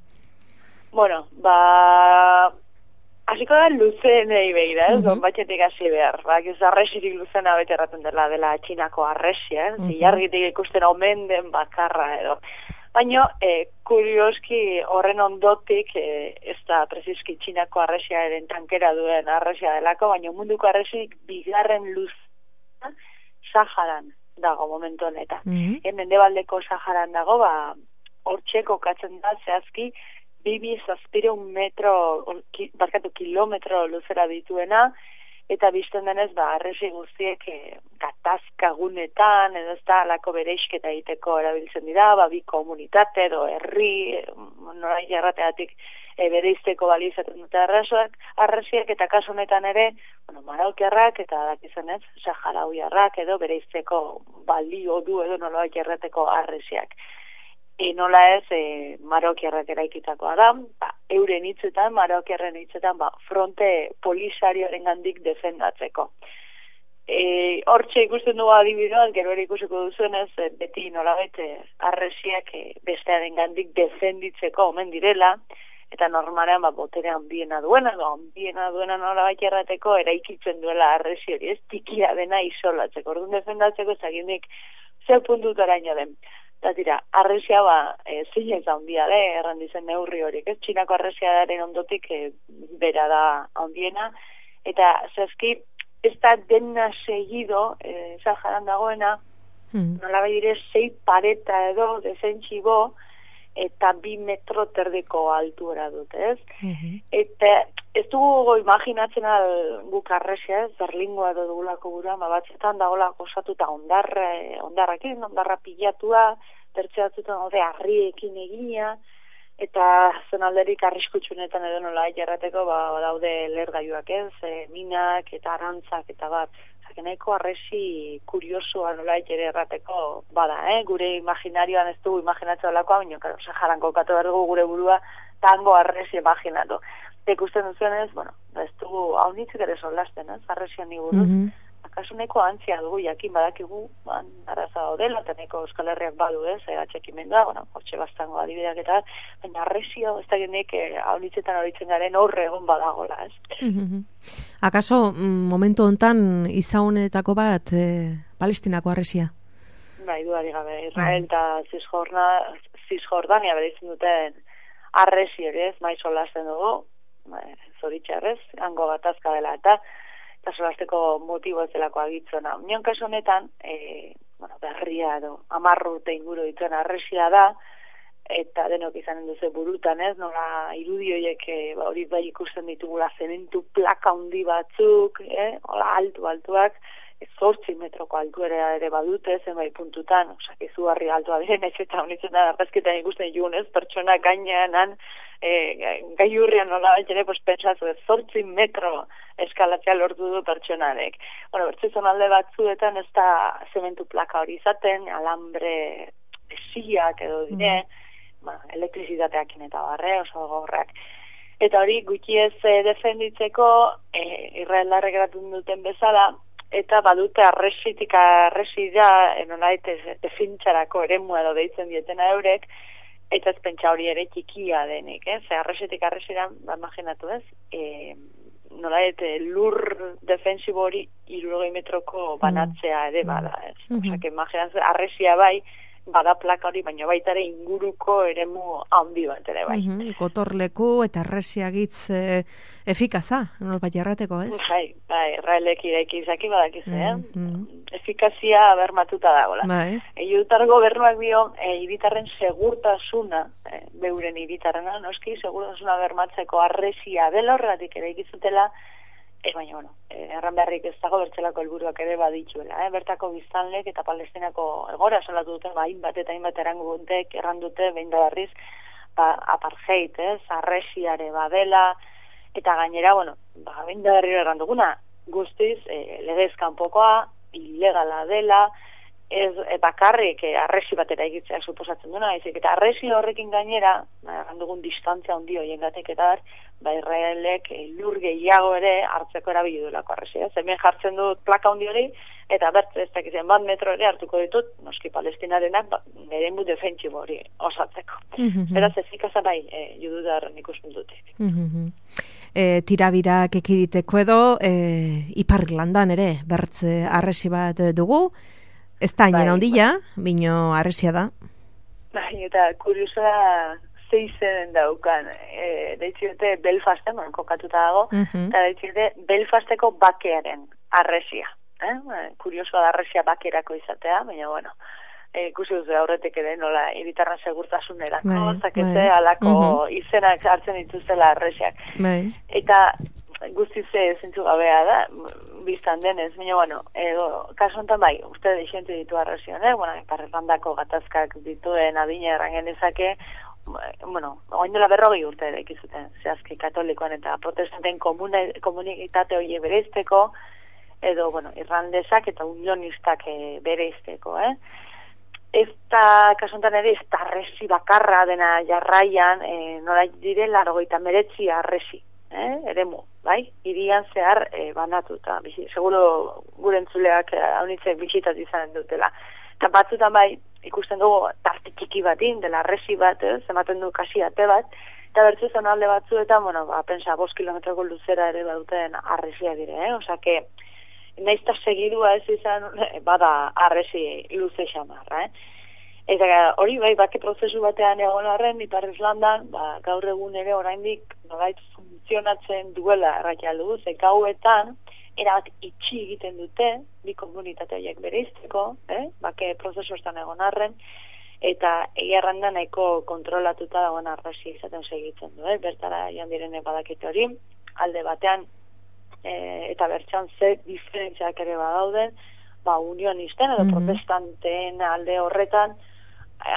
Hasiko da luzenei begira, batxetik hasi behar. Arresirik luzena bete erraten dela Txinako arresia, zilargitik ikusten omen den bakarra edo. Baina, kurioski horren ondotik, ez da preziski Txinako arresiaren tankera duen arresia delako, baina munduko arresik bigarren luzena Saharan dago momentu honetan. Mendebaldeko Saharan dago, hortxe kokatzen da zehazki, 2.000 kilometro luzera dituena, eta bizten denez, arresi guztiek gatazkagunetan, edo ez da, alako bereisketa egiteko erabiltzen dira, bi komunitate edo herri, norai jarrateatik bereizteko balizaten dute arresiak, eta kasu honetan ere, maraukiarrak eta dakizen ez, saharauiarrak edo bereizteko balio du edo nola jarrateko arresiak. Nola ez, marokiarrak eraikitakoa da, euren hitzetan, marokiarren hitzetan, fronte polisarioaren gandik defendatzeko. Hortxe ikusten dugu adibiduan, gero ere ikusiko duzuenez, beti nola arresiak bestearen gandik defenditzeko omen direla, eta normalean botere handiena duena nola errateko eraikitzen duela arresi hori, ez tikia dena isolatzeko, orduan defendatzeko ezagindik zer puntutaraino den. Eta tira, arresia zein ez handia da, errandizen neurri horiek, ez? Txinako arresiaren ondotik bera da handiena, eta zazki ez da dena segido, Saharan dagoena, Nola dire 6 pareta edo desentxibo, eta 2 metro terdiko altuera dute, ez? Eta ez dugu imaginatzen guk arresia, ez? Berlingoa edo dugulako gura, batzetan dagoela osatuta ondarra pilatua, bertzeatzutan daude harriekin egina, eta zonalderik arriskutsunetan edo nola jarrateko daude lergailuak, ez? Minak eta arantzak eta bat. Nahiko arresi kuriosoa nola ere errateko bada, gure imaginarioan ez dugu imaginatzen olakoa, baina, karo, Saharan kokatu behar dugu gure burua tango arresi imaginatu. Ikusten duzuenez, ez dugu hau nitzik ere solasten, arresian niburuz. Akaso nahiko antzia dugu, jakin badakigu, araza odela, eta nahiko Euskal Herriak badu, atxekimendua, hortxe bastango adibideak eta, baina arresio, ez da genek hau nitzetan horitzen garen horre egon badagola, ez? Akaso, momentu hontan izaunetako bat Palestinako arresia? Bai, duari gabe, Israel eta Cisjordania bereizten duten arresi ere, ez, maiz solasten dugu, zoritxarrez, hango gatazka dela, eta solasteko motibo ez delako agitzona. Union kasu honetan, berria edo 10 urte inguru dituen arresia da, eta denok izanen duze burutan, ez, nola irudioiek hori bai ikusten ditugula zementu plaka handi batzuk, hola altuak, 8 metroko altuera ere badute, zenbait puntutan, izugarri altua diren, ez eta honitzen da, arrezketan ikusten jugunez, pertsona gainean, gaiurrian nola ere, pentsatu, 8 metro eskalatzea lortu du pertsonarek. Bertze zonalde batzuetan ez da zementu plaka hori izaten, alambre esiak edo dire, elektrizitateakin eta barre, oso gogorrak. Eta hori gutxi ez defenditzeko, Israeldarrek eratun duten bezala, eta badute arresida, nolait defintxarako eremua edo deitzen dietena eurek, eta ez pentsa hori ere txikia denik, arresitik arresidan, imaginatu ez, nolait lur defensibo hori 60 metroko banatzea ere bada, ez. Osak, imaginatu, arresia bai, bada plaka hori, baina baita ere inguruko eremu handi bat ere bai. Gotorleku eta arresiagitz efikaza, nolbat jarrateko, ez? Bai, Israelek iraiki izaki badakiz, efikazia bermatuta dagoela. Judutar gobernuak dio, hiritarren segurtasuna, beuren hiritarrena, noski, segurtasuna bermatzeko arresia dela horregatik ere ikizutela, baina, erran beharrik ez dago bertzelako helburuak ere baditzuela. Bertako biztanlek eta Palestinako egora salatu dute, hainbat eta hainbat erangutek errandute, behin da berriz, apartheid, arresiare badela, eta gainera, behin da berriro erranduguna, guztiz, legez kanpokoa, ilegala dela, ez bakarrik arresi batera egitzea suposatzen duna, eta arresi horrekin gainera, errandugun distantzia handi hoiengatik eta Israelek lur gehiago ere hartzeko erabili duelako arresia. Hemen jartzen dut plaka handi hori, eta bertze ez dakizien 1 metro ere hartuko ditut, noski Palestinarenak eremu defentsibo hori osatzeko. Beraz efikaza bai, judutarren ikusten dutik. Tirabirak ekiditeko edo, Ipar Irlandan ere, bertze arresi bat dugu, ez da hainen ondila, bino arresia da. Bai, eta kuriosa zeizen daukan, deitxiote Belfasten, kokatuta dago, eta deitxiote Belfasteko bakearen arresia. Kuriosoa da arresia bakerako izatea, baina, ikusi duzu aurretik ere, nola, hiritarren segurtasunerako, zakete, alako izenak hartzen dituzela arresiak. Eta guztiz zentzu gabea da, biztan denez, baina, kasu honetan bai, uste deixente ditu arresion, Ipar Irlandako gatazkak dituen adina erran genezake, oain dela 40 urte ere ikizuten, zehazki katolikoan eta protestanten komunitate hori bereizteko, edo, irlandesak eta unionistak bereizteko, Ez da, kasuntan ere, ez da arresi bakarra dena jarraian, nola dire, 89 arresi, eremu, bai? Hirian zehar banatuta, seguro gure entzuleak haunitze bisitatu izan dutela. Eta batzutan bai, ikusten dugu tarte txiki batin, dela arresi bat, ematen du kasi ate bat, eta bertzu zonalde batzuetan, pensa 5 kilometroko luzera ere baduten arresia dire, osake, naizta segidua ez izan, bada arresi luze xamarra, Eta hori bai, bake prozesu batean egon arren, Ipar Irlandan, gaur egun ere oraindik nolait funtzionatzen duela errakia dugu, ze gauetan, erabat itxi egiten dute, bi komunitate horiek bereizteko, bake prozesuetan egon arren, eta egia nahiko kontrolatuta dagoen arrasia izaten segitzen du, bertara joan direne badakite hori, alde batean, eta bertxan ze diferentziak ere badauden, unionisten edo protestanteen alde horretan,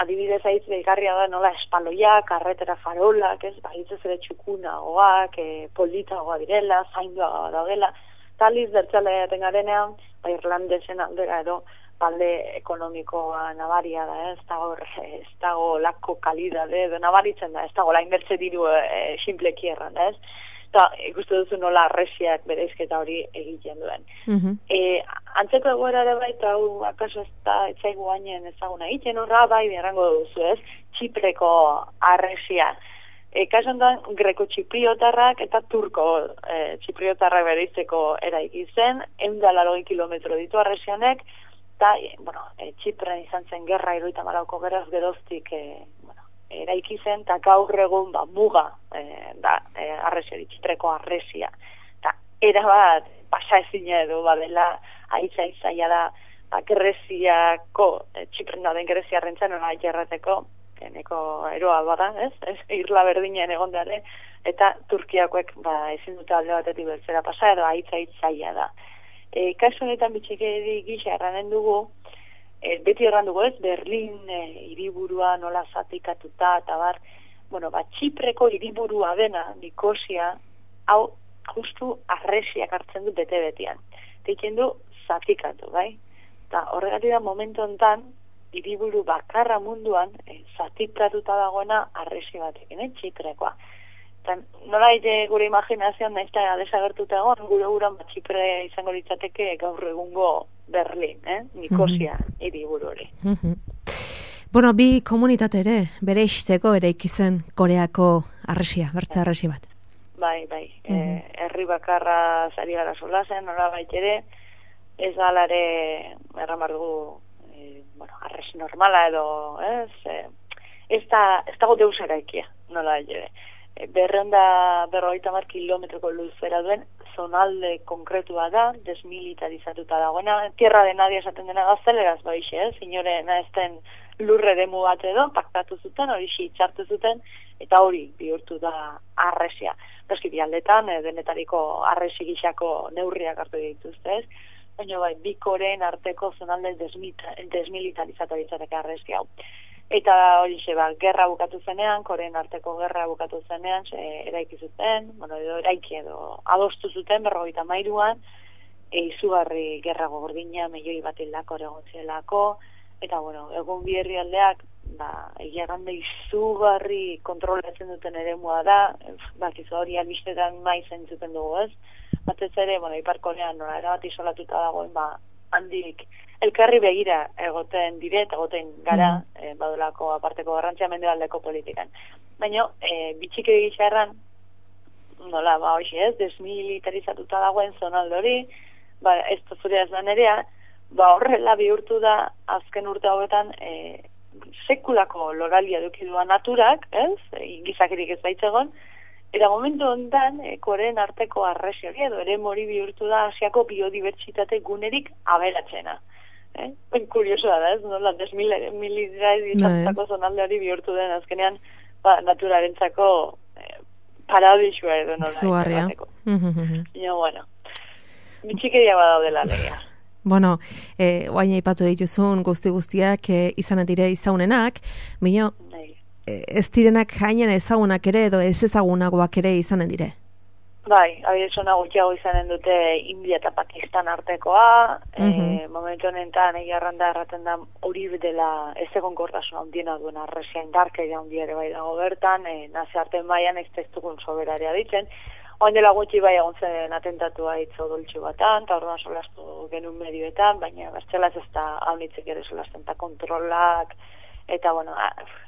adibidez aitz behigarria da nola espaloiak, karretera farolak, hitzez ere txukunagoak, politagoa direla, zainduagoa daudela, taliz bertxalea garenean, irlandesen aldera edo talde ekonomikoa nabaria da, ez dago lako kalidade edo nabaritzen da, ez dago la inbertze diru simpleki erran, ez? Eta ikustu duzu nola arresiak bereizketa hori egiten duen. Antzeko egoera ere bai, eta hau akaso ez da etzaigu hainen ezaguna egiten horra, bai berrango duzu, ez? Txipreko arresia. Kaso honetan, greko-txipriotarrak eta turko txipriotarrak bereizteko eraiki zen, 180 kilometro ditu arresianek, eta, Txipren izan zen gerra 74ko geraz geroztik eraiki zen, eta gaur egun muga da arresiari, Txipreko arresia. Eta erabat pasa ezina edo badela aitza da Greziako, Txipren dauden Greziarrentzan nola jarrateko, neko eroa bada, ez? Irla berdinen egondeare, eta Turkiakoek ezin dute alde batetik beltzera pasa edo aitza da. Kasu honetan bitxikeri gisa erranen dugu, beti erran dugu ez, Berlin hiriburua nola zatikatuta, eta bar, Txipreko hiriburua dena, Nikosia, hau justu arresiak hartzen du bete-betian. Teiken du zatikatu, bai? Eta horregatik da momentu honetan, hiriburu bakarra munduan, zatikatuta dagoena arresi batekin, Txiprekoa. Nola gure imaginazioan nahiz eta desagertuta egon, gure uran Txipre izango litzateke gaur egungo Berlin, Nikosia hiriburu hori. Bi komunitate ere, bere izteko ere ikizen Koreako arresia, bertza arresi bat. Bai, herri bakarra zari gara solazen, nola ere, ez galare erramar dugu, arresi normala edo, ez dago deus eraikia, nola ere. 250 kilometroko luzera duen zonalde konkretua da, desmilitarizatuta dagoena, tierra de nadie esaten dena gazteleraz baixe, inorena ezten lurre demu bat edo, paktatu zuten, hori itxartu zuten, eta hori bihurtu da arresia. Eski bialdetan, denetariko arresi gixako neurriak hartu dituzte, baina bi Koreen arteko zonalde desmilitarizatu ditzateke arresi hau. Eta hori gerra bukatu zenean, Koreen arteko gerra bukatu zenean, eraiki zuten, eraiki edo adostu zuten 53an, izugarri gerra gordina, milioi bat hildako egon zielako, eta egun bi herrialdeak, egia gande izugarri kontrolatzen duten eremua da, bakizu hori albistetan maizen zuten dugu ez, batez ere, Ipar Korean erabat isolatuta dagoen, handik elkarri begira egoten dire, egoten gara, badolako aparteko garrantzia mendebaldeko politikan. Baina, bitxike egitza erran, nola, hoxe ez, desmilitarizatuta dagoen zonalde hori, ez zure ez da nerea, horrela bihurtu da azken urte hauetan sekulako loralia dukidua naturak, ez, gizakirik ez baitzegon, eta momentu honetan, Koreen arteko arresi hori edo ere mori bihurtu da Asiako biodibertsitate gunerik aberatzena. Kuriosoa da, ez, nola, desmilitarizatutako zonalde hori bihurtu den azkenean, naturarentzako paradisua edo nola. Zuarria. Bitxikeria badaudela legea. Oain aipatu dituzun guztiak izan dire izaunenak, bino, ez direnak hainen ezagunak ere edo ez ezagunagoak ere izanen dire? Bai, abidezona gutxiago izanen dute India eta Pakistan artekoa, momentu honetan egiarranda erraten da hori dela ez egonkortasun handiena duen arresia indarkeria handia ere bai dago bertan, nazioarten baian ez testugun soberaria ditzen, oain dela gutxi bai egon zen atentatua hitzo doltxu batan, eta orduan solastu genuen medioetan, baina bertzelaz ez da haunitzik ere solasten eta kontrolak, eta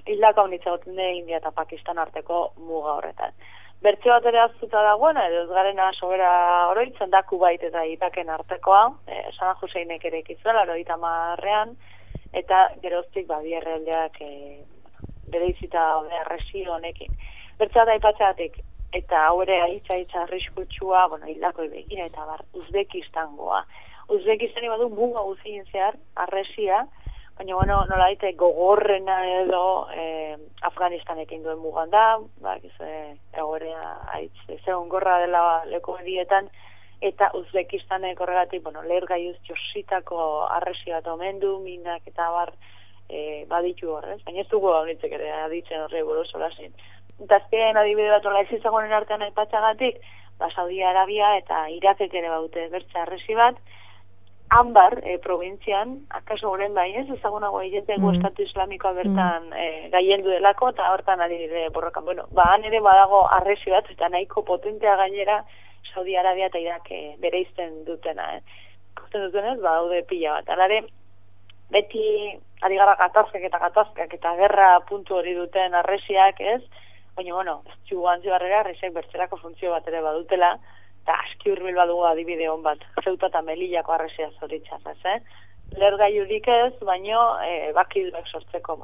hildak haunitza goten India eta Pakistan arteko muga horretan. Bertze bat ere aztuta dagoena, edo ez garena sobera oroitzen da Kubait eta Iraken artekoa, San Huseinek ere ikizuela, 50ean, eta geroztik bi herrialdeak bereizita arresi honekin. Bertze bat aipatzeatik, eta haure aitza arriskutsua, hildako begira, eta Uzbekistangoa. Uzbekistani badu muga guzien zehar, arresia, baina, nola daite gogorrena edo Afganistanekin duen mugan da, egorea ze ongorra dela leku horietan, eta Uzbekistanek horregatik, lehergailuz jositako arresi bat omen du, minak eta baditu horrez, baina ez dugu honitzek ere aditzen horre buruz olasin. Eta azken adibide bat hola ezizagonen artean aipatzagatik, Saudi Arabia eta Irakek ere baute bertze arresi bat, Anbar, provintzian, akaso horren bai ez, ezagunago egiteko Estatu Islamikoa bertan gaiendu delako, eta hortan ari dire borrokan. Han ere badago arresi bat, eta nahiko potentea gainera Saudi Arabia eta Irak bereizten dutena. Ikusten dutenez, badaude pila bat. Alare, beti ari gara gatazkak eta gerra puntu hori duten arresiak ez, baina, ez txugan zibarrera arresiak bertzerako funtzio bat ere badutela, eta aski hurbil badugu adibide hon bat, Zeuta eta Melillako arresia zoritzaz, Lehergailurik ez, baino bakiduak sortzeko,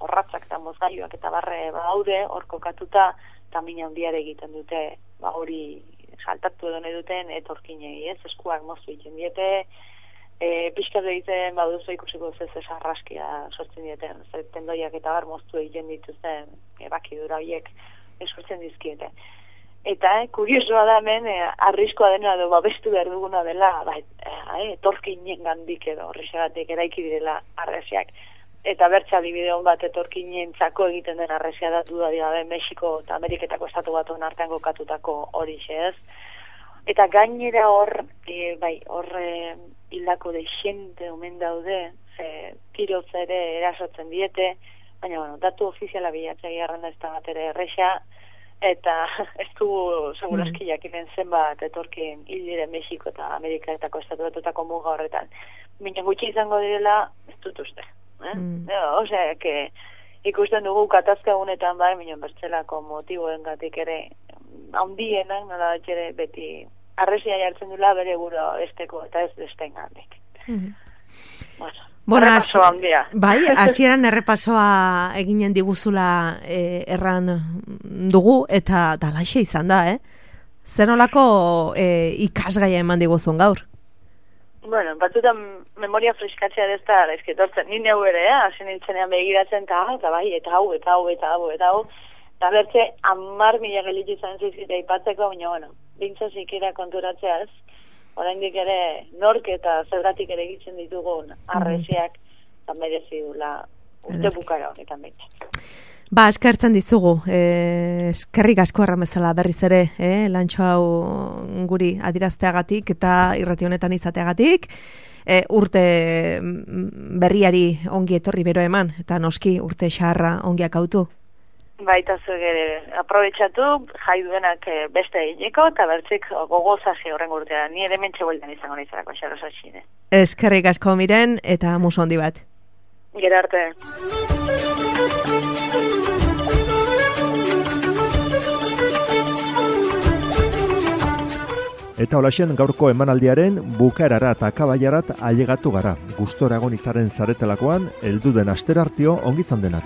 horratzak eta mozgailuak eta barre badaude, hor kokatuta, eta mina handiare egiten dute, hori saltatu edo nahi duten, etorkinei ez, eskuak moztu egiten diete, pixkat egiten baduzu ikusiko ez arraskia sortzen dieten, tendoiak eta moztu egiten dituzten bakidura horiek sortzen dizkiete. Eta, kuriosoa da hemen, arriskoa dena edo babestu behar duguna dela, etorkinen gandik edo horrexegatik eraiki direla arresiak. Eta bertza bideo bat etorkinentzako egiten den arresia da dudarik gabe Mexiko eta Ameriketako estatu batuen artean kokatutako horixe ez. Eta gainera hor hildako deixente omen daude, tiroz ere erasotzen diete, baina datu ofiziala bilatzea garranda ez da bat ere erresa, eta ez dugu seguraski jakiten zenbat etorkin hil diren Mexiko eta Ameriketako estatu batutako muga horretan. Baina gutxi izango direla, ez dut uste. Osea, ikusten dugu katazka egunetan minon bertzelako motiboengatik ere handienak, nola ere beti arresia jartzen dula bere guro esteko eta ez besten gandik. Errepaso handia. Bai, hasieran errepasoa eginen diguzula erran dugu eta dalaxe izan da, Zer nolako ikasgaia eman diguzun gaur? Batzutan memoria freskatzea dezta ezketortzen, ni neu ere, hasi nintzenean begiratzen eta bai, eta hau, eta bertze 10.000 gelitu izan zizita ipatzeko, baina, bintza zikera konturatzea ez, oraindik ere nork eta zergatik ere egiten ditugun arresiak eta merezi dula urte bukara honetan behintzat. Eskertzen dizugu, eskerrik asko erran bezala berriz ere, lantxo hau guri adirazteagatik eta irrati honetan izateagatik, urte berriari ongi etorri bero eman, eta noski urte xarra ongiak autu. Baita zuge, aprobetxatu, jai duenak beste egineko, eta bertzik gogozaje horren urtean, ni ere mentxe bueltan izango nizarako xarrosatxine. Eskerrik asko Miren, eta musu handi bat. Gero arte. Eta holaxen gaurko emanaldiaren bukaerara eta akabaiarat ailegatu gara. Gustora egon izaren zaretelakoan, heldu den asterartio ongi izan denak.